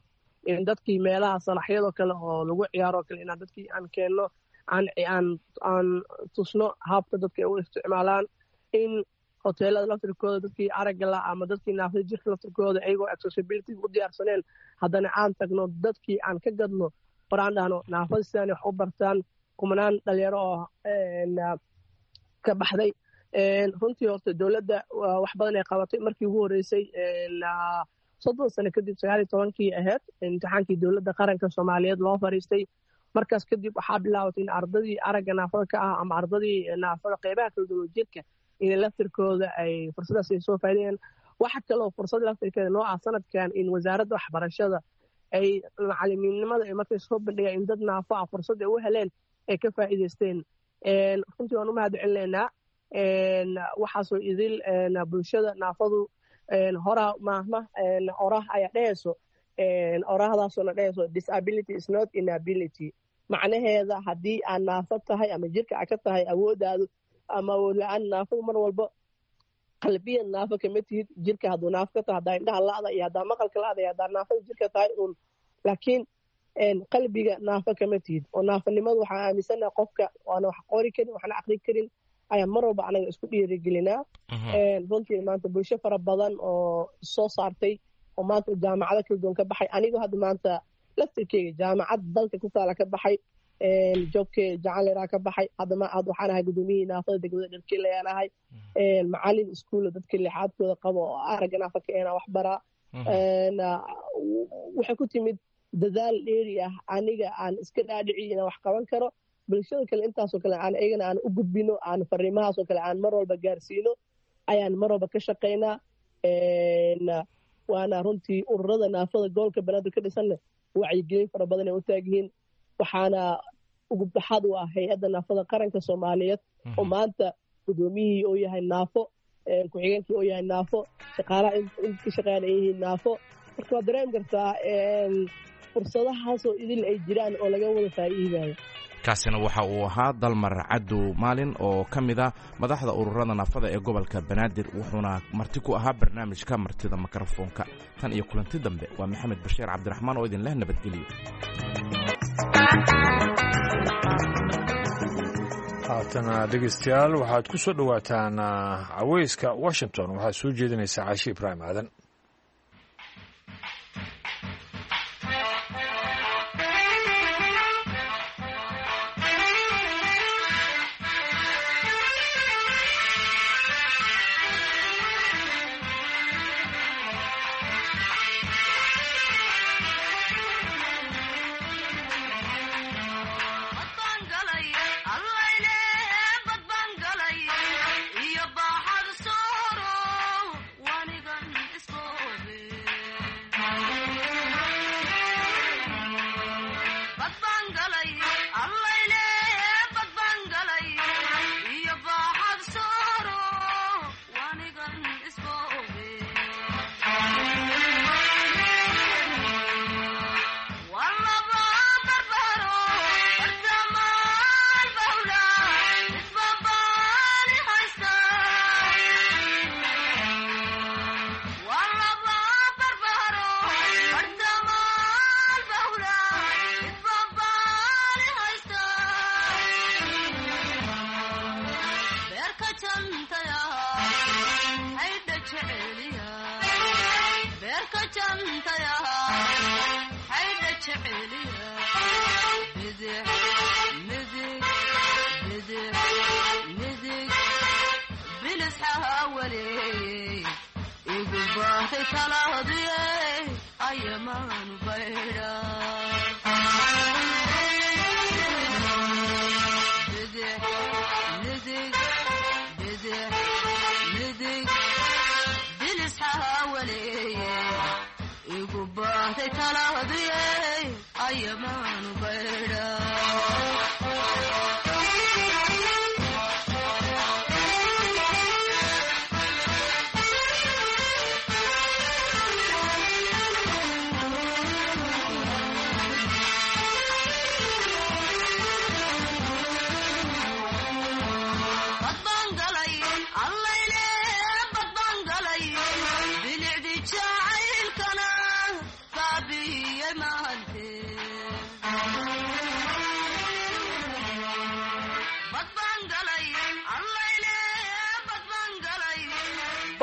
dadkii meelaha salaxyadoo kale oo lagu ciyaaroo kale inaan dadkii aan keenno, aan aan aan tusno habka dadka ay u isticmaalaan, in hoteelada laftirkooda dadkii aragga la ama dadkii naafada jirka laftirkooda iyagoo accessibility u diyaarsaneen haddana aan tagno dadkii aan ka gadno war aan dhahno naafada sidaan wax u bartaan. Kumanaan dhalinyaro oo ka baxday runtii horta dowladda wax badan ay qabatay. Markii ugu horreysay soddon sano kadib sagaal iyo tobankii ahayd imtixaankii dowladda qaranka Soomaaliyeed loo fariistay. Markaas kadib waxaa bilaabatay in ardadii aragga naafada ka ah ama ardadii naafada qeybaha kala duwan jirka inay laftirkooda ay fursadaas ay soo faa'iideeyaan. Waxa kaloo fursad laftirkeeda noo ah sanadkan in wasaaradda waxbarashada ay macalimiinnimada ay markay soo bandhigaan in dad naafo ah fursad ay u heleen ay ka faa'iidaysteen. Runtii waan u mahad celinaynaa waxaasoo idil bulshada naafadu horaa maahma oraah ayaa dhehayso, oraahdaasoo na dhehayso disability is not inability. Macnaheeda haddii aad naafo tahay ama jirka aad ka tahay awooddaadu ama awood la-aan, naafadu mar walba qalbiyan naafo kama tihid. Jirka hadduu naafo ka tahay, haddaa indhaha la'da iyo haddaa maqalka la'da iyo haddaa naafada jirka tahay uun, laakiin qalbiga naafo kama tihid. Oo naafanimadu waxaan aaminsanaha qofka waana wax qori karin waxna aqri karin ayaan mar walba anaga isku dhiirigelinaa. Runtii maanta bulsho fara badan oo soo saartay oo maanta jaamacado kala duwan ka baxay, anigoo hadda maanta laftirkeyga jaamacad dalka ku taala ka baxay, jobke jacanleraa ka baxay, hadda ma had waxaan ahay gudoomiyihii naafada degmada Dharkiile ayaan ahay, macalin iskuulla dadka lixaadkooda qabo oo aragga naafa ka eenaa wax baraa. Waxay ku timid dadaal dheeri ah, aniga aan iska dhaadhiciyo inaan wax qaban karo, bulshada kale intaasoo kale aan iyagana aan u gudbino, aan fariimahaasoo kale aan mar walba gaarsiino ayaan mar walba ka shaqaynaa. Waana runtii ururada naafada gobolka Banaadir ka dhisanna wacyigelin fara badan ay u taagyihiin, waxaana ugu baxaad u ah hay-adda naafada qaranka Soomaaliyeed oo maanta gudoomiyihii oo yahay naafo, ku-xigeenkii oo yahay naafo, shaqaalaha in ka shaqeeyaan ay yihiin naafo. Marka waad dareemi kartaa fursadahaasoo idil ay jiraan oo laga wada faa'iidayo. Kaasina waxa uu ahaa Dalmar Cadow Maalin oo ka mid ah madaxda ururada naafada ee gobolka Banaadir, wuxuuna marti ku ahaa barnaamijka martida mikrofoonka. Tan iyo kulanti dambe, waa Maxamed Bashiir Cabdiraxmaan oo idin leh nabadgelyo. Haatana dhegeystayaal, waxaad ku soo dhowaataan Caweyska Washington. Waxaad soo jeedinaysaa Caashi Ibraahim Aadan.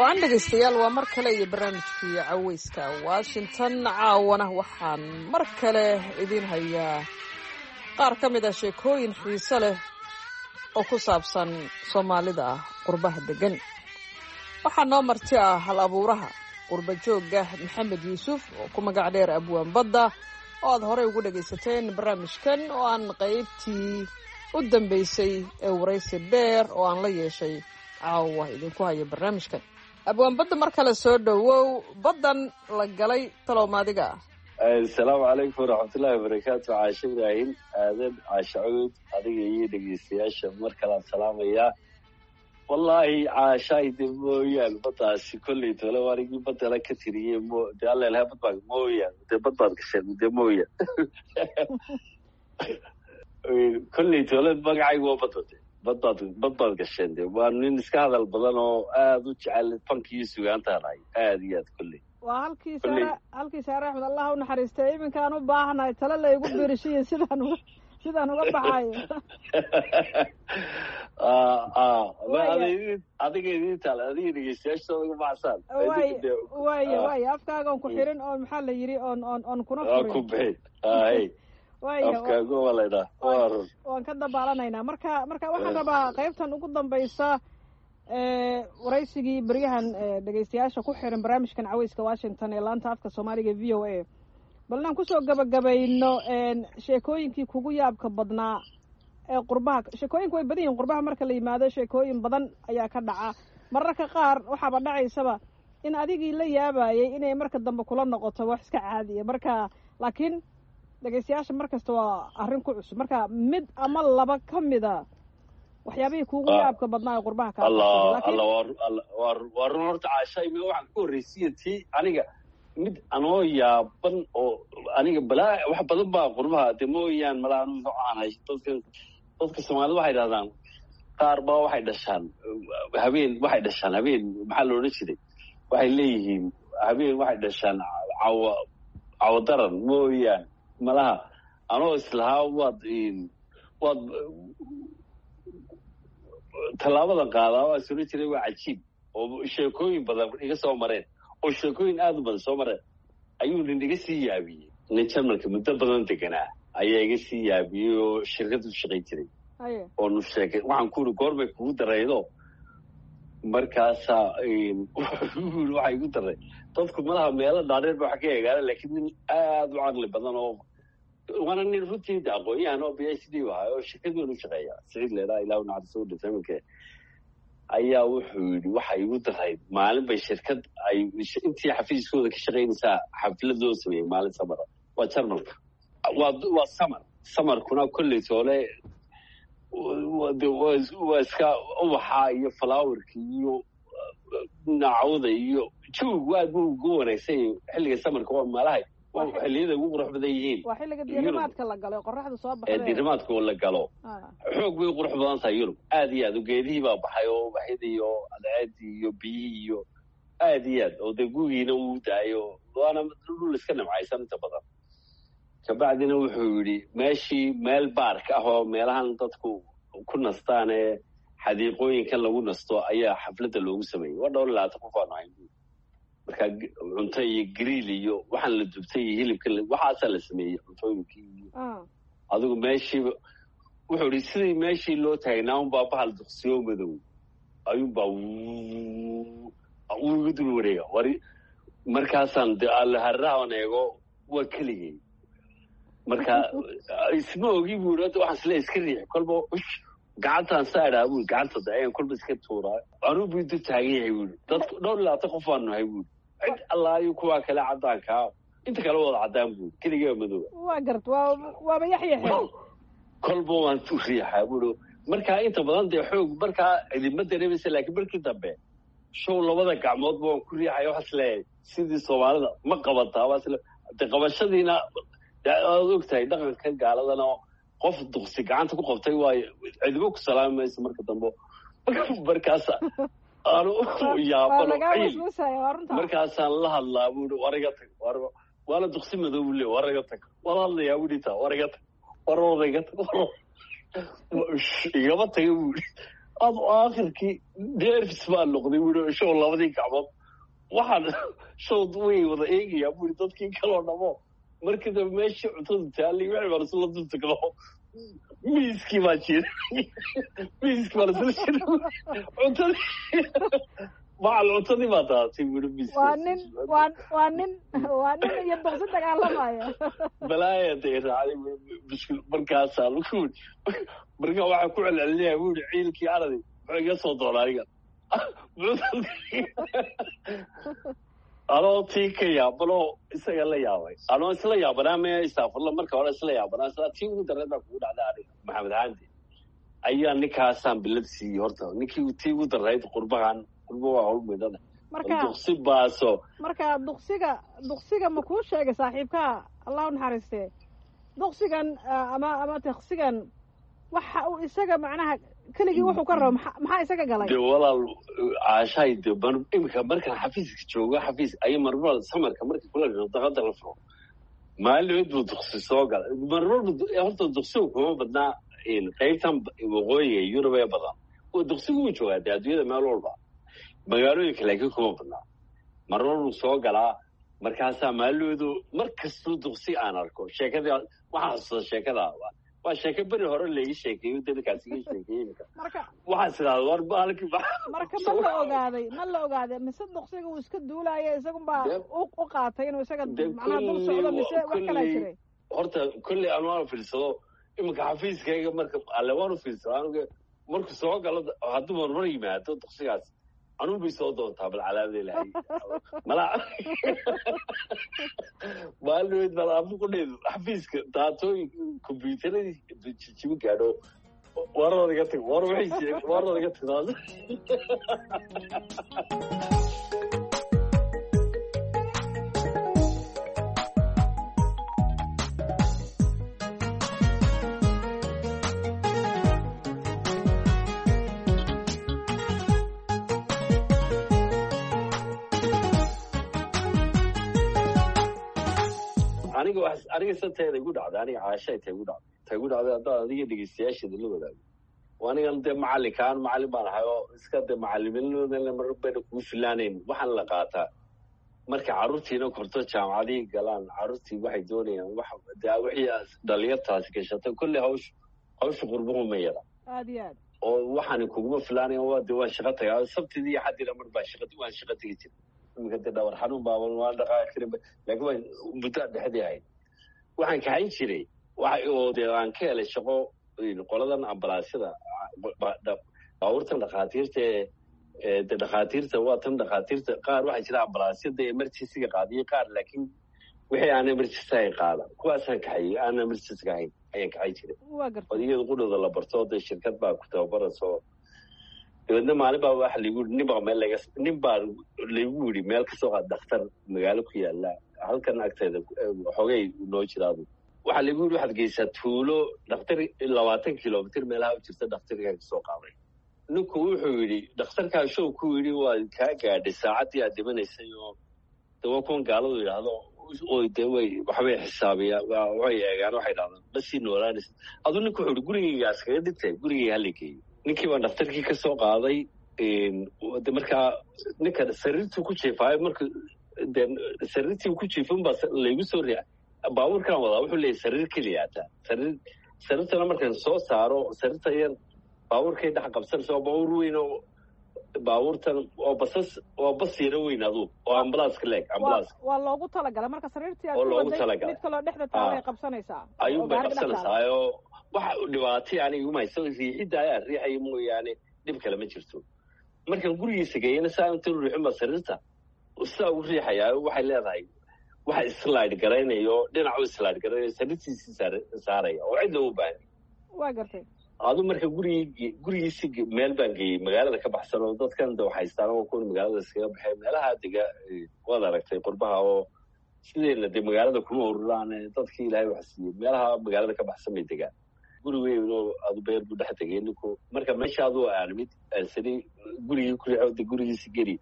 Waan dhegaystayaal, waa mar kale iyo barnaamijkii Caweyska Washington. Caawana waxaan mar kale idiin hayaa qaar ka mid ah sheekooyin xiise leh oo ku saabsan Soomaalida ah qurbaha degan. Waxaa noo marti ah hal abuuraha qurba joogga Maxamed Yuusuf oo ku magac dheer Abwaan Badda, oo aad horey ugu dhagaysateen barnaamijkan oo aan qaybtii u dambeysay ee waraysi dheer oo aan la yeeshay caawa idinku haya barnaamijkan. Abwaan Badda, mar kale soo dhowow. Baddan la galay talow maadiga ah? Asalaamu calaykum waraxmatullahi wabarakaatu. Caashe Ibraahim Aadan, Caashe Cuud, adiga iyo dhegeystayaasha mar kalean salaamayaa. Wallaahi caashaay de mooyaan baddaasi kolley tole anigii baddala ka tiriyey mo de allelha bad baa mooyaan dee bad baad gasheen dee mooyaan. Kolley toole magacaygu waa badda de, badbaad bad baad gasheen de. Waa nin iska hadal badan oo aada u jecel fanka iyo sugaantaan ahay, aada iyo aad kolley. Waa halkii Saare, halkii Saare Axmed, Allah u naxariistay. Iminkaan u baahanahay talo la igu biirishiyo sidaan uga sidaan uga baxayo. Adiga idin taal, adiga dhegeystayaasha uga baxsaan. Waay waaya waaya, afkaaga on ku xirin oon, maxaa la yidhi, oon oon oon kuna furin. Ku bixin hay. Waaya, afkaaga waa laydhaa, waa run. Waan ka dabaalanaynaa. Marka marka waxaan rabaa qaybtan ugu dambaysa waraysigii beryahan dhegeystayaasha ku xiran barnaamijkan Caweyska Washington ee laanta afka Soomaaliga V O A, bal inaan kusoo gabagabayno sheekooyinkii kugu yaabka badnaa ee qurbaha. Sheekooyinku way badan yihin qurbaha marka la yimaado, sheekooyin badan ayaa ka dhaca. Mararka qaar waxaaba dhacaysaba in adigii la yaabayay inay marka dambe kula noqoto wax iska caadiya. Marka laakiin dhegeystayaasha mar kasta waa arrin ku cusub. Marka mid ama laba ka mida waxyaabihii kuugu yaabka badnaa ee qurbaha kaa. Allah Allah, waa waa run. Horta Caasha, imi waxaan ku horreysiya tii aniga mid anoo yaaban oo aniga balaa wax badan baa qurbaha de mooyaan malaa aan hay. Dadka dadka Soomaalida waxay dhahdaan qaar baa waxay dhashaan habeen, waxay dhashaan habeen, maxaa la odhan jiray, waxay leeyihiin habeen waxay dhashaan cawa cawadaran mooyaan. Malaha anoo islahaa waad waad tallaabadan qaadaa, waa is odhan jiray waa cajiib oo sheekooyin badan iga soo mareen, oo sheekooyin aada u badan soo mareen, ayuu nin iga sii yaabiyey. Nin Jarmalka muddo badan deganaa ayaa iga sii yaabiyey oo shirkad u shaqayn jiray oonu sheekay. Waxaan ku uri, goorbay kugu daraydo? Markaasaa wuxuu yiri, waxaa igu daray dadku malaha meelo dhaadheer ba wax ka eegaana, laakiin nin aada u caqli badan oo waana nin runtii de aqoon-yahan oo B H D ahaa oo shirkad weyn u shaqeeya, Siciid leedaa, ilaa naxariiso, u dhintay iminka, ayaa wuxuu yidhi, waxa igu darayd maalin bay shirkad ay intii xafiiskooda ka shaqaynaysaa xaflad loo sameeyey maalin samara. Waa Jarmalka, waa waa samar, samarkuna kolley toole waa iska ubaxa iyo flowerka iyo nacawda iyo jawigu aad buu ugu wanaagsan yahay xilliga samarka. Waa meelahay waa xilliyada ugu qurux badan yihiin. Waa xilliga diirimaadka la galo, qoraxda soo baxday. Ee diirimaadka la galo, xoog bay u qurux badan tahay Yurub, aad iyo aad. Geedihii baa baxay oo ubaxyadii iyo cadceedii iyo biyihii iyo aad iyo aad, oo dee gugiina wuu daayo, waana dhul iska nimcaysan inta badan. Kabacdina wuxuu yidhi, meeshii meel baark ah oo meelahan dadku ku nastaan ee xadiiqooyinkan lagu nasto ayaa xafladda loogu sameeyey. Waa dhowr iyo labaatan qof aanu ahayn. Marka cunto iyo griil iyo waxaan la dubtay iyo hilibka waxaasaa la sameeyey, cuntooyinkii iyo adigu meeshiiba. Wuxuu yidhi, sidii meeshii loo taagnaa unbaa bahal duqsiyo madow ayuunbaa wuu iga dul wareega war. Markaasaan de allaharrahan eego, waa keligay. Marka isma ogi buu yidhi, waxaan isle iska riix kolba gacantaan saa idhaa buu, gacanta de ayaan kolba iska tuuraa, anuu buu intu taagan yahay buu yidhi. Dadku dhowr iyo labaatan qof baanu nahay buu yidhi, cid allaayo kuwaa kale caddaankaa, inta kale wada caddaan buu yidhi, keligee madooba. Waa gart, waa waaba yaxyaxe. Kolba waan u riixaa buu yidhi. Markaa inta badan dee xoog markaa cidima dareemaysa, laakiin markii dambe show labada gacmoodba waan ku riixaya. Waxaas leeyahay sidii Soomaalida ma qabataa, waas de qabashadiina aad og tahay dhaqanka gaaladana, qof duqsi gacanta ku qabtay waayo cidimo ku salaami mayso marka dambe. Markaasa aanu yaabano ciil, markaasaan la hadlaa buu i, war iga tag, war waana duqsi madow buu le, war iga tag, waan hadlayaa buu dhintaa, war iga tag, war war iga tag, war igama taga buu i. Ad aakhirkii nerfis baa noqday buu i, show labadii gacmood waxaan show way wada eegayaa buu i dadkii kaloo dhamo. Markii dambe meeshii cuntadu taallay wixii baan isla dul tagno, miiskii baa jira, miiskii baan isla jira, cuntadii macal cuntadii baa daadatay buu i miiskii. Waa nin waa waa nin waa nin iyo duqsi dagaalamaya. Balaaya day raacday biskul. Markaasaa lagu yidhi, marka waxaa ku celcelinayaa buu yidhi, ciilkii aradi muxuu iga soo doona aniga anoo tii ka yaabanoo isaga la yaabay, anoo isla yaabanaa me istaafurla marka hore isla yaabanaa isla tii ugu darreed baa kugu dhacday aniga Maxamed Haandi ayaa ninkaasaan bilad siiyey. Horta ninkii tii ugu darreyd qurbahan, qurba waa howl midana marka duqsi baaso. Marka duqsiga duqsiga ma kuu sheegay saaxiibkaa, Allah u naxariistee? Duqsigan ama ama taksigan waxa uu isaga macnaha keligii wuxuu ka rabo maxaa isaga galay? De walaal Caashaay, de imika markaan xafiiska joogo, xafiis ay marmar samarka markii kula daqada la furo, maalin buu duqsi soo galay. Marmar horta duqsigu kuma badnaa qaybtan waqooyiga Yurub ee badan. Duqsigu wuu joogaa dee adduunyada meel walba, magaalooyinka, laakiin kuma badnaa. Marmar buu soo galaa. Markaasaa maaloodu mar kastuu duqsi aan arko, sheekadii waxaan xasuusta. Sheekada waa sheeko beri hore laii sheekeeyo, dadkaas iga sheekeeyey. Imika waxaan sidahda war baalki. Marka ma la ogaaday ma la ogaaday mise duqsiga uu iska duulaya, isagunbaa u qaatay inuu isaga macnaha dul socdo, mise wax kalaa jiray? Horta kolley aan waan fiirsado iminka xafiiskayga marka alle waan u fiirsado anuga. Markuu soo galo, hadduu marmar yimaado duqsigaas, anugu bay soo doontaa. Bal calaamada Ilaahay mala maalin bal amuqudheedu xafiiska daatooyin kombyuutaradii jijibi gaadho. Warada iga tag, war waxay warada iga tagtaas. Aniga wax aniga santeeda igu dhacday, aniga Caashay ta igu dhacday ta igu dhacday haddaan adiga dhegeystayaasheeda la wadaago. Anigan dee macalinkaan macalin baan ahay oo iska dee macalimiinadana mar bayna kugu filaanayn. Waxaan la qaataa marka carruurtiina korto, jaamacadihii galaan, carruurtii waxay doonayaan wax dee wixii dhalinyartaasi gashatay. Kolley hawsh hawsha qurbuhu ma yara. Aad iyo aad. Oo waxaan kuguma filaanayan. Waa dee waan shaqo tagaa sabtidii iyo xaddiina, mar baa shaqa waan shaqo tegi jiray. Iminka dee dhabar xanuun baaban, waan dhaqaaqi karin, laakiin waan muddo dhexdii ahayd waxaan kaxayn jiray. Waxa oo dee aan ka helay shaqo qoladan ambalaasyada, baabuurtan dhakhaatiirta ee de dhakhaatiirta waa tan dhakhaatiirta qaar waxaa jira ambalaasyada emergency-ga qaadiyo qaar, laakiin wixii aan emergency ahayn qaada. Kuwaasaan kaxayay, aan emergency-ga ahayn ayaan kaxay jiray. Waa gartay. Oo iyada qudhooda la barto, dee shirkad baa ku tababarayso. Dabeedna maalin baa waxa laigu yidhi, nin baa meel laga nin baa laigu yidhi meel kasoo qaad dhakhtar magaalo ku yaala halkan agteeda xoogay noo jiraadu. Waxaa laigu yidhi waxaad geysaa tuulo dhakhtar labaatan kilomitr meelaha u jirta, dhakhtarkaa kasoo qaaday. Ninku wuxuu yidhi dhakhtarkaa show ku yidhi waa kaa gaadhay saacaddii aad dhimanaysay. Oo de waa kuwan gaaladu yidhaahdo oo de way waxbay xisaabiyaan, waxay eegaan, waxay dhahdaan ma sii noolaanaysa aduu. Ninku wuxuu yidhi gurigaygaas kaga dhintay, gurigayga hala geeyo. Ninkii baan dhakhtarkii ka soo qaaday. De markaa ninka sariirtuu ku jiifaayo, marka de sariirtii ku jiifin baa laygu soo riixa baabuurkaan wadaa. Wuxuu leeyahy sariir keliya ataa sariir, sariirtana markaan soo saaro, sariirta yar baabuurkay dhex qabsanaysa. Oo baabuur weyn oo baabuurtan oo basas oo bas yaro weyn aduu oo ambalaaska leeg ambalaaska. Waa loogu talagalay marka sariirtii aad oo ku loogu waday talagalay. Mid kaloo dhexda taala ay qabsanaysaa. Ayuun oo bay gaariga dhex taala. Qabsanaysaa oo waxa dhibaatay aniga iguma hayso, riixidda ayaa riixaya mooyaane dhib kale ma jirto. Markaan gurigiisa geeyana, saa inta riixin baa sariirta sidaa ugu riixayaa, waxay leedahay waxa slide garaynayo, dhinacu slide garaynayo, sariirtiisii saaraya oo cid loogu baahan. Waa gartay. Adu marka gurigii gurigiisi meel baan geeyey magaalada ka baxsan oo dadkan de waxhaystaan oo kuwan magaalada iskaga baxay meelaha dega. Waad aragtay qurbaha oo sideena dee magaalada kuma ururaan dadkii Ilaahay wax siiyey, meelaha magaalada ka baxsan bay degaan. Guri weyn oo adu beer buu dhex tegay ninku. Marka meesha aduu aan mid sari gurigii ku riixo de gurigiisi geli.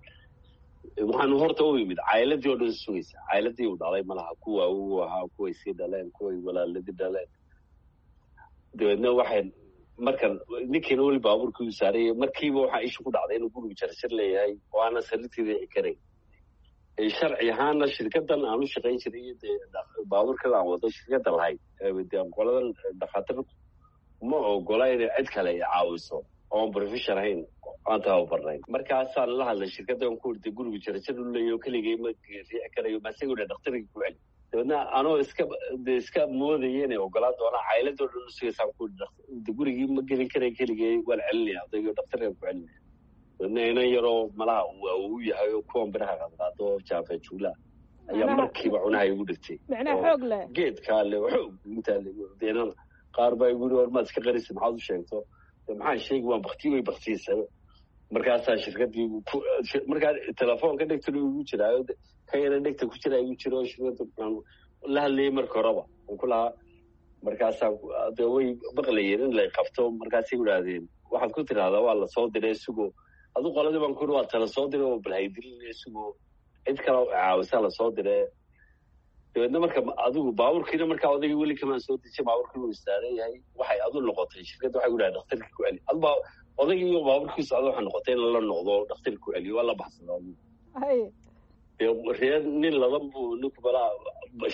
Waxaanu horta u yimid cailadii oo dhan sugaysa, cailadii uu dhalay malaha, kuwa uu ahaa, kuway sii dhaleen, kuway walaaladii dhaleen. Dabeedna waxay markan ninkiina weli baabuurkii u saarayay, markiiba waxaa isha ku dhacday inuu gurigu jarjar leeyahay oo aanan sariirtii riixi karayn. Sharci ahaana shirkadan aan u shaqayn jiray iyo dee baabuurkan aan wado shirkadda lahayd, dee qoladan dhakhaatiir ma ogola inay cid kale i caawiso oon profession ahayn, aan tababarnayn. Markaasaan la hadlay shirkaddan ku irtay gurigu jarjar u leeyaho, keligay ma riixi karayo, masagu dha dhakhtarkii ku celi. Dabeedna anoo iska de iska moodaya inay ogolaan doonaan, cailadoo dhan usugaysaan ku iri gurigii ma gelin karay keligay, waan celinaya odaygo, dhakhtarkan ku celinaya. Dabeedna inan yaroo malaha uu awow yahay oo kuwan biraha qaadqaado oo jaafa juula ayaa markiiba cunaha igu dhigtay. Micnaha xoog leh. Geedkaa le xoog intaa le. Qaar baa igu yiri war maad iska qarisa, maxaad u sheegto? Maxaan sheegi, waan bakti way baktiyeysa. Markaasaa shirkadii markaa telefoonka dhegtana igu jiraayo, ka yara dhegta ku jiraa igu jiro, shirkadda la hadlayay marka horeba aan ku lahaa Markaasaa de way maqlayeen in lay qabto. Markaasay idhaahdeen waxaad ku tidhahdaa waa lasoo diray sugo. Adu qoladii baan kuri waa tala soo diray oo balhaydilin sugo, cid kale caawisa lasoo diray. Dabeedna marka adigu baabuurkiina markaa odaygii weli kamaan soo dejiyay, baabuurkii wuu istaaran yahay. Waxay adu noqotay shirkadda waxay ku dhahay dhakhtarkii ku celi. Adu baa odaygii iyo baabuurkii socda waxay noqotay in lala noqdo dhakhtarkii ku celiyo, waa la baxsada adigu. Dee reer nin ladan buu ninku malaa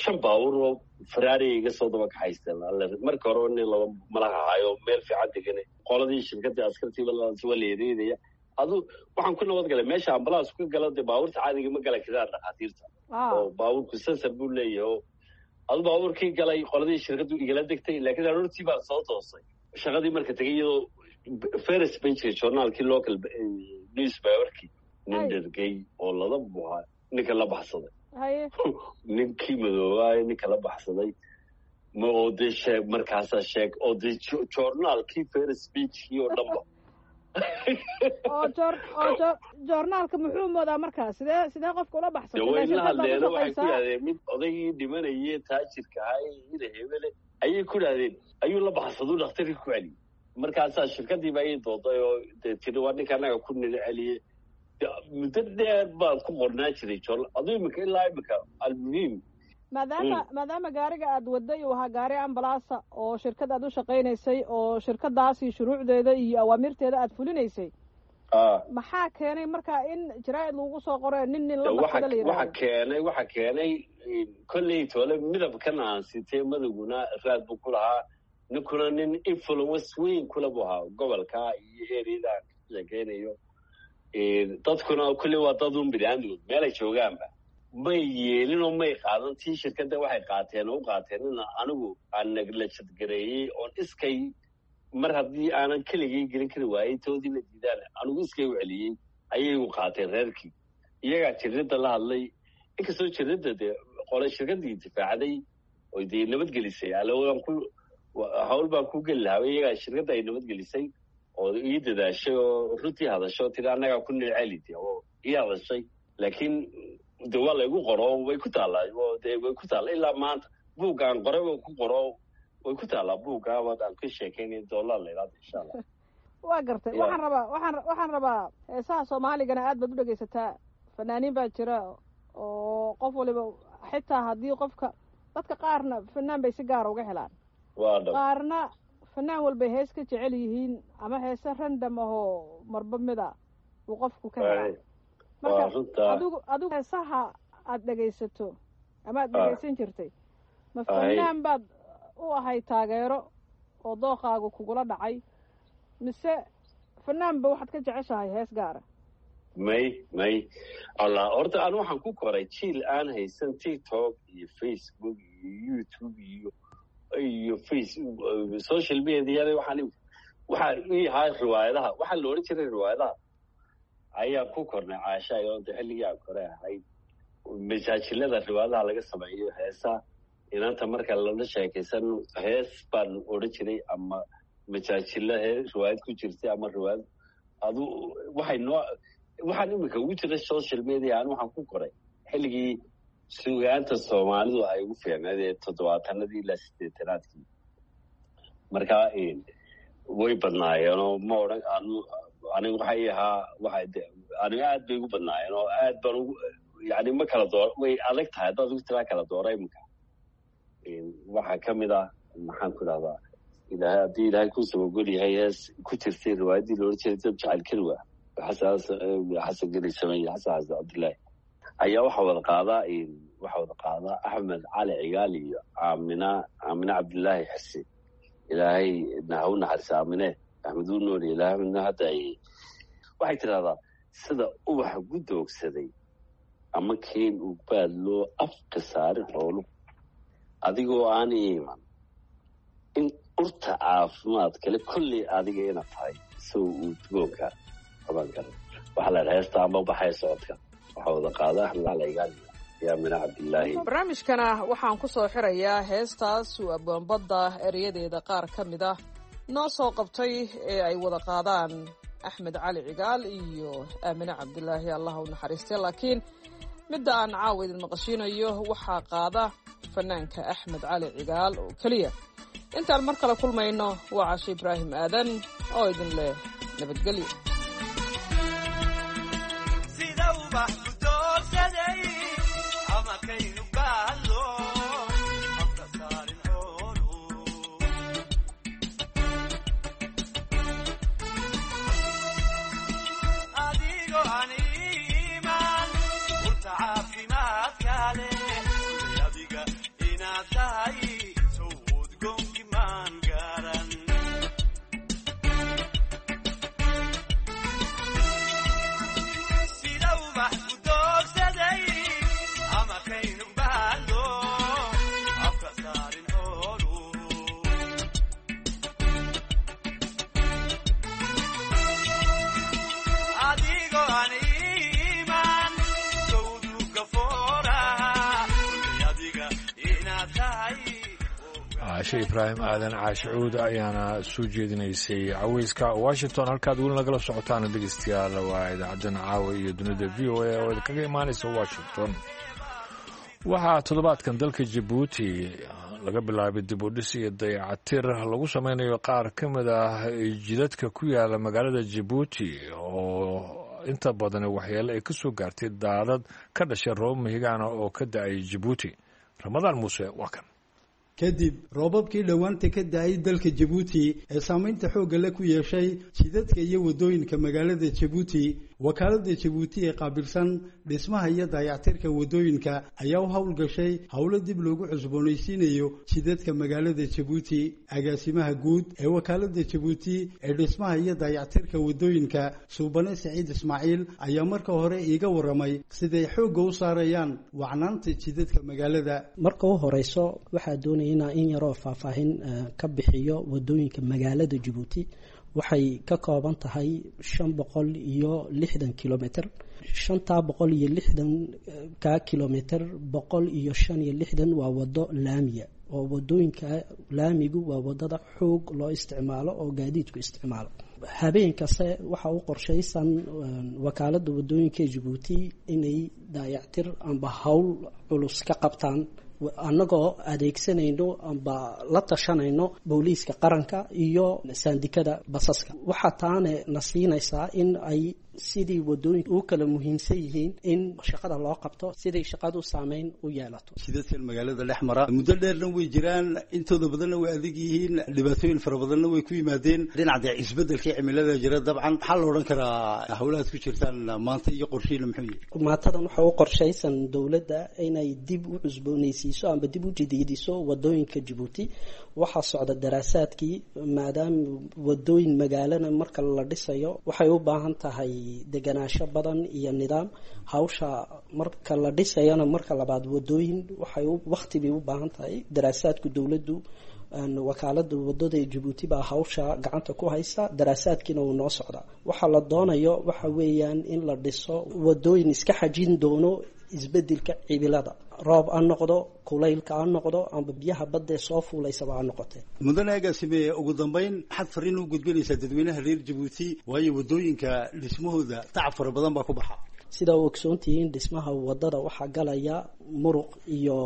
shan baabuur oo Ferrari iga soo daba kaxaysteen. Marka horeba nin ladan malaha ahaayo meel fiican degane. Qoladii shirkaddii askartiiba waa la eedeynaya. Adu waxaan ku nabad galay meesha ambalaas ku gala, dee baabuurta caadiga ma gala karaan dhakhaatiirta oo baabuurku sensor buu leeyahay. Oo adu baabuurkii galay, qoladii shirkaddu igala degtay, laakiin aroortii baan soo toosay shaqadii marka tegay iyadoo first page journaalkii local newspaperkii nin dhergey oo lada buhaa ninka la baxsaday, ninkii madoobaay ninka la baxsaday ma oo dee sheeg markaasaa sheeg oo dee journaalkii first pagekii oo dhanba. Oo joor oo joor joornaalka muxuu moodaa markaa sidee sidee qofka ula baxsatay? Way la hadleeno, waxay ku yidhahdeen mid odaygii dhimanayay taajirka ahaa ina hebele ayay ku yidhahdeen ayuu la baxsaduu dhakhtarkii ku celiyey. Markaasaa shirkadiiba ayay dooday oo dee tiri waa ninka annaga ku nina celiyey. Muddo dheer baan ku qornaa jiray joornaal aduu imika ilaa imika almuhiim. Maadaama maadaama gaariga aad waday uu ahaa gaari ambalaasa oo shirkad aad u shaqaynaysay oo shirkadaasi shuruucdeeda iyo awaamirteeda aad fulinaysay, maxaa keenay marka in jaraa'id lagu soo qoro nin nin la baxsada la yidhahdo? Waxa keenay waxa keenay kolley toole midabkan aan sitay madowguna raad buu ku lahaa, ninkuna nin influence weyn kula buu ahaa gobolka iyo eriyada aan ka sheekaynayo. Dadkuna kolley waa dad un biniaadmigood meelay joogaanba may yeelin oo may qaadan tii shirkadda, waxay qaateen oo u qaateen in anigu aan naglajad gareeyey oon iskay mar haddii aanan keligay gelin kari waayey toodii la diidaan anigu iskay u celiyey ayay u qaateen reerkii. Iyagaa jirridda la hadlay, inkastoo jirridda dee qole shirkaddii difaacday oo dee nabadgelisay alowaan ku hawl baan ku geli lahaa, iyagaa shirkadda ay nabadgelisay oo ii dadaashay oo runtii hadashay oo tiri annagaa ku nilceli de oo ii hadashay. Laakiin de waa laygu qoro, way ku taallaa, de way ku taalla ilaa maanta buuggaan qoray way ku qoro, way ku taallaa buugga waad aan ka sheekaynay doollar la yidhahdo insha Allah. Waa gartay. Waxaan rabaa waxaan waxaan rabaa heesaha soomaaligana aad baad u dhegaysataa, fanaaniin baa jira oo qof waliba xitaa haddii qofka dadka qaarna fanaan bay si gaara uga helaan, waa dhab, qaarna fanaan walbay hees ka jecel yihiin ama heese random ahoo marba mida uu qofku ka helaa. Marka adigu adigu heesaha aad dhegaysato ama aad dhegaysan jirtay ma fanaan baad u ahay taageero oo dooqaagu kugula dhacay mise fanaanba waxaad ka jeceshahay hees gaara? May may allah, horta anu waxaan ku koray jiil aan haysan TikTok iyo Facebook iyo YouTube iyo iyo face social media. Waxaan waxaa ii ahaa riwaayadaha, waxaa la odhan jiray riwaayadaha ayaan ku kornay caasha oo de xilligii aan kore ahayd masaajilada riwaayadaha laga sameeyo heesaha inanta marka lala sheekaysan hees baan odhan jiray ama majaajila hee riwaayad ku jirtay ama riwaayad adu waxay noo waxaan iminka ugu jira social media. Aan waxaan ku koray xilligii sugaanta soomaalidu ay ugu fiicneed ee toddobaatanadii ilaa siddeetanaadkii. Marka way badnaayeenoo ma odhan anu aniga waxay ahaa waxa aniga aad bay ugu badnaayeen oo aad baan ugu yani ma kala door, way adag tahay haddaad ugu tiraa kala doora iminka. Waxaa ka mid ah maxaan ku idhahdaa ilaahay haddii ilaahay ku sabagol yahay hees ku jirtay riwaayaddii la odhan jiray dab jacayl kelwa xasan xasan geli sameeye xasan xasan cabdullaahi ayaa waxaa wada qaadaa waxaa wada qaadaa Axmed Cali Cigaal iyo Aamina Aamina Cabdullaahi Xise. Ilaahay ha u naxariisa Aamine, Axmed uu nool ilaahay midna hadda ay waxay tidhahdaa sida ubaxa gudoogsaday ama keen ugbaad loo afka saarin xooluhu adigoo aan iiman in urta caafimaad kale kolley adiga inaad tahay isagoo uu dugoonka qaban kara. Waxaa la yidhaha heesta ama baxaya socodka waxaa wada qaada Axmed Cali Cigaal iyo Aamina Cabdullaahi. Barnaamijkana waxaan ku soo xirayaa heestaas uu abwaanbadda ereyadeeda qaar ka mid ah noo soo qabtay ee ay wada qaadaan Axmed Cali Cigaal iyo Aamine Cabdulaahi, allah u naxariistay. Laakiin midda aan caawa idin maqashiinayo waxaa qaada fanaanka Axmed Cali Cigaal oo keliya. Intaan mar kale kulmayno waa Cashe Ibraahim Aadan oo idin leh nabadgelyo. Caashe Ibraahim Aadan Caashicuud ayaana soo jeedinaysay caweyska Washington. Halkaad weli nagala socotaan dhegeystayaal waa idaacaddan caawa iyo dunida V O A oo idinkaga imaanaysa Washington. Waxaa toddobaadkan dalka Jabuuti laga bilaabay dib u dhis iyo dayacatir lagu sameynayo qaar ka mid ah jidadka ku yaala magaalada Jabuuti oo inta badan waxyeelo ay ka soo gaartay daadad ka dhashay roobab mahigaana oo ka da-ay Jabuuti. Ramadaan Muuse waa kan. Kadib roobabkii dhowaanta ka da-ay dalka Jabuuti ee saamaynta xoogga le ku yeeshay jidadka iyo waddooyinka magaalada Jabuuti, wakaaladda Jabuuti ee qaabilsan dhismaha iyo dayactirka waddooyinka ayaa u howlgashay howlo dib loogu cusboonaysiinayo jidadka magaalada Jabuuti. Agaasimaha guud ee wakaaladda Jabuuti ee dhismaha iyo dayactirka waddooyinka, Suubane Saciid Ismaaciil, ayaa marka hore iiga warramay siday xoogga u saarayaan wacnaanta jidadka magaalada. Marka u horeyso waxaa doonaya inaa in yaroo faahfaahin ka bixiyo wadooyinka magaalada Jabuuti. Waxay ka kooban tahay shan boqol iyo lixdan kilomitr. Shantaa boqol iyo lixdanka kilomitr, boqol iyo shan iyo lixdan waa wado laamiya, oo wadooyinka laamigu waa wadada xoog loo isticmaalo oo gaadiidku isticmaalo. Habeen kaste waxa u qorshaysan wakaalada wadooyinka Jabuuti inay daayactir amba howl culus ka qabtaan, annagoo adeegsanayno amba la tashanayno booliiska qaranka iyo saandikada basaska. Waxaa taana na siinaysaa in ay sidii wadooyinka u kala muhiimsan yihiin in shaqada loo qabto, siday shaqadu saameyn u yeelato. Jidadkan magaalada dhex mara muddo dheerna way jiraan, intooda badanna way adag yihiin, dhibaatooyin fara badanna way ku yimaadeen. Dhinaca dee isbeddelkii cimilada jira dabcan, maxaa la odhan karaa howlahaad ku jirtaan maanta iyo qorshihiina muxuu yahay? Maantadan waxaa u qorshaysan dowladda inay dib u cusboonaysiiso amba dib u jadiidiso wadooyinka Jabuuti. Waxaa socda daraasaadkii, maadaama wadooyin magaalana marka la dhisayo waxay u baahan tahay deganaansho badan iyo nidaam. Hawsha marka la dhisayana marka labaad wadooyin waxay waqti bay u baahan tahay. Daraasaadku dowladdu, wakaalada wadada ee Jabuuti baa hawsha gacanta ku haysa, daraasaadkiina wuu noo socdaa. Waxaa la doonayo waxa weeyaan in la dhiso wadooyin iska xajin doono isbedelka cibilada, roob ha noqdo, kulaylka ha noqdo, amba biyaha baddae soo fuulaysaba ha noqotee. Mudane agaasime, ugu dambeyn maxaad fariin u gudbinaysaa dadweynaha reer Jabuuti? Waayo waddooyinka dhismahooda tacab fara badan baa ku baxa. Sidaa u ogsoontihiin, dhismaha wadada waxaa galaya muruq iyo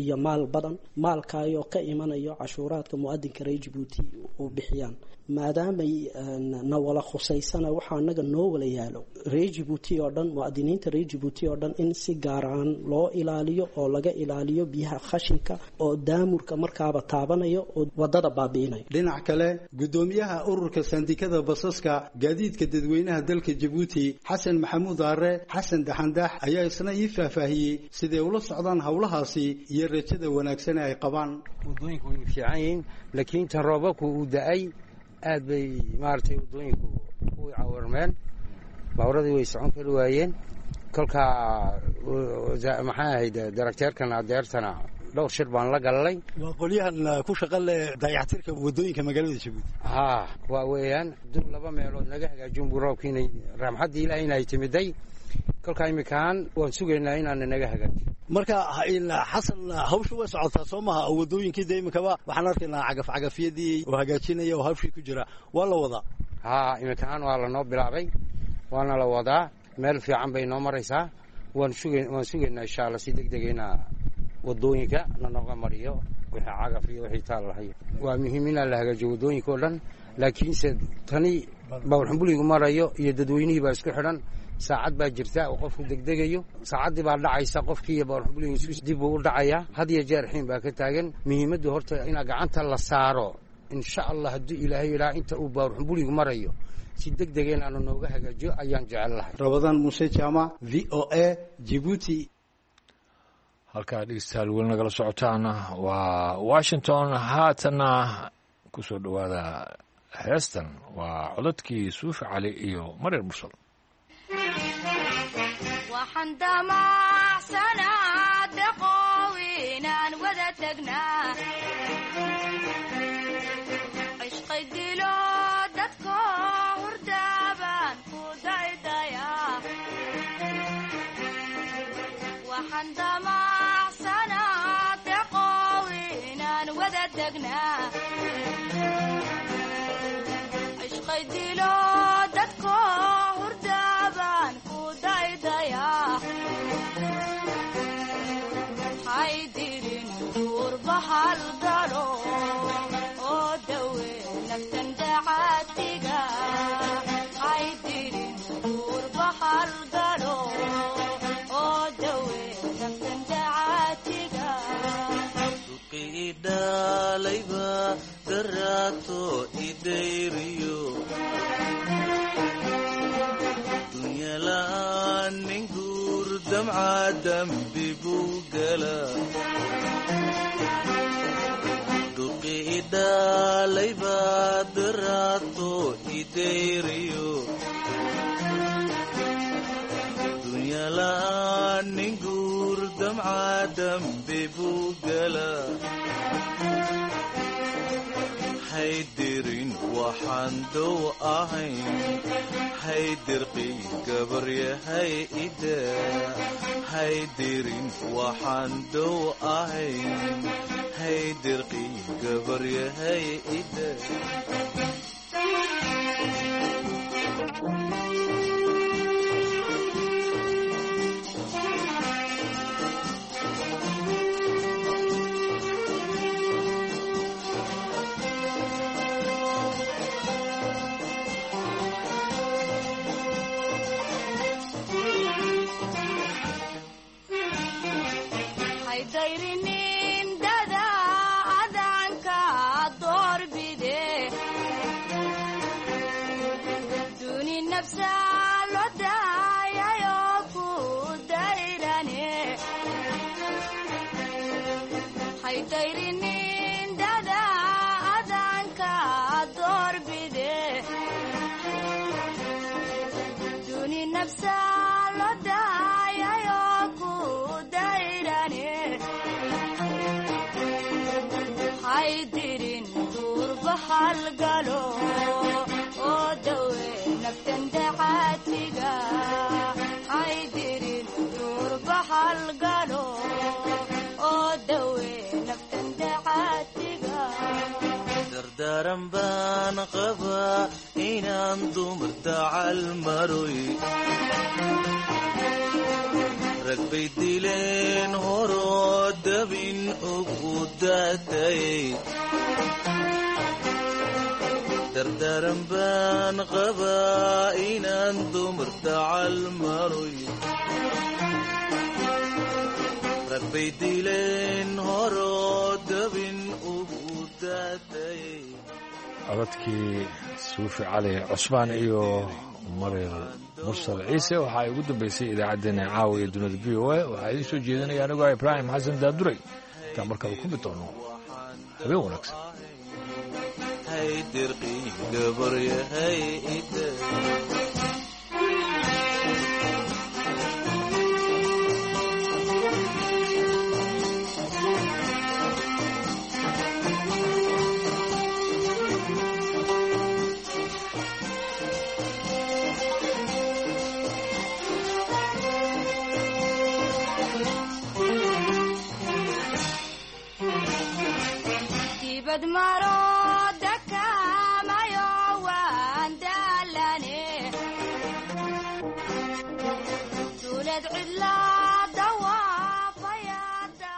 iyo maal badan, maalkaayoo ka imanayo cashuuraadka muadinka reer Jabuuti uu bixiyaan. Maadaamay na wala khusaysana, waxaa anaga noo wala yaalo reer Jabuuti oo dhan, muadiniinta reer Jabuuti oo dhan, in si gaaraan loo ilaaliyo oo laga ilaaliyo biyaha khashinka oo daamurka markaaba taabanayo oo wadada baabi'inayo. Dhinac kale, guddoomiyaha ururka sandikada basaska gaadiidka dadweynaha dalka Jabuuti, Xasan Maxamuud Aare Xasan Daxandax, ayaa isna ii faahfaahiyey siday ula socdaan howlahaasi iyo rajada wanaagsan ee ay qabaan. Wadooyinku way fiican yihiin, laakiin tan roobabku uu da-ay aad bay maaragtay waddooyinku u cawarmeen, baaburadii way socon kari waayeen. Kolkaa maxaa ahayd darakteerkan adeertana dhowr shir baan la galalay. Waa qolyahan ku shaqa leh dayactirka waddooyinka magaalada Jabuuti. Haa, waa weeyaan dul laba meelood naga hagaajin buu roobkiina, raxmaddii Ilaahay inay timiday. Kolkaa iminkaan waan sugaynaa inaana naga hagaajiyo. Marka Xasan, hawshu way socotaa soo maha? Waddooyinkii dee iminkaba waxaan arkaynaa cagaf cagafyadii oo hagaajinaya oo hawshii ku jira, waa la wadaa. Haa, iminkaan waa lanoo bilaabay, waana la wadaa, meel fiican bay noo maraysaa. Waan suga waan sugaynaa insha alla si deg dega inaa wadooyinka nanooga mariyo wixii cagaf iyo wixii taal lahay. Waa muhiim inaa la hagaajiyo wadooyinka oo dhan, laakiinse tani bawrxumbuligu marayo iyo dadweynihii baa isku xidhan. Saacad baa jirta oo qofku degdegayo, saacaddii baa dhacaysa, qofkii iyo bawrxumbuligu isku dib buu u dhacayaa. Had iyo jeer xiin baa ka taagan. Muhiimaddu horta inaa gacanta la saaro, insha Allah hadduu Ilaahay yidhaha, inta uu bawrxumbuligu marayo si deg dega inaanu nooga hagaajiyo ayaan jecel lahay. Rabadaan Muuse Jaamac, V O A, Jibuuti. Halkaa dhegeystayaal weli nagala socotaan waa Washington. Haatanna kusoo dhowaada heestan, waa codadkii Suufi Cali iyo Maryar Mursal. Waxaan damacsanaa deqow inaan wada tagnaa, cishqay dilo dadko hurdaabaan ku daydayaa. Waxaan damacsanaa deqow inaan wada tagnaa, cishqay dilo dadko hurdaabaan ku daydayaa. Haydirin duurba halgalo oo dawe naftan dacaatiga, haydirin duurba halgalo oo dawe naftan dacaatiga. Idhalayba daraato idayriyo dunyala'aan nin guur damca dambi buu gala. Duqi idhalayba daraato idayriyo dunyala'aan nin guur damca dambi buu gala. Haydirin waxaan dow ahayn, haydirqi gabaryahay ida. Haydirin waxaan dow ahayn, haydirqi gabaryahay ida. Haydayrinin dada adanka doorbide, duni nafsa loo daayayo ku dayrane. Haydayrinin dada adanka doorbide, duni nafsa loo daayayo ku dayrane. Haydirin duurba halgalo oo dawe naftan dacaatiga, haydirin duurba halgalo oo dawe naftan dacaatiga. Dardaaran baan qabaa inaan dumar dacal maroy, rag bay dileen horoo dabin ugu daatayay. Dardaaran baan qabaa inaan dumar dacal maroy, rag bay dileen horoo dabin ugu daatayay. Codadkii Suufi Cali Cusmaan iyo Maryar Mursal Ciise waxaa ay ugu dambeysay idaacaddeenna caawa iyo dunida V O A. Waxaa idiin soo jeedinaya anigoo Ibraahim Xasan Daaduray. Intaan markaba kulmi doono, habeen wanaagsan. Haydirqi gabaryahay ida. Dibad maro.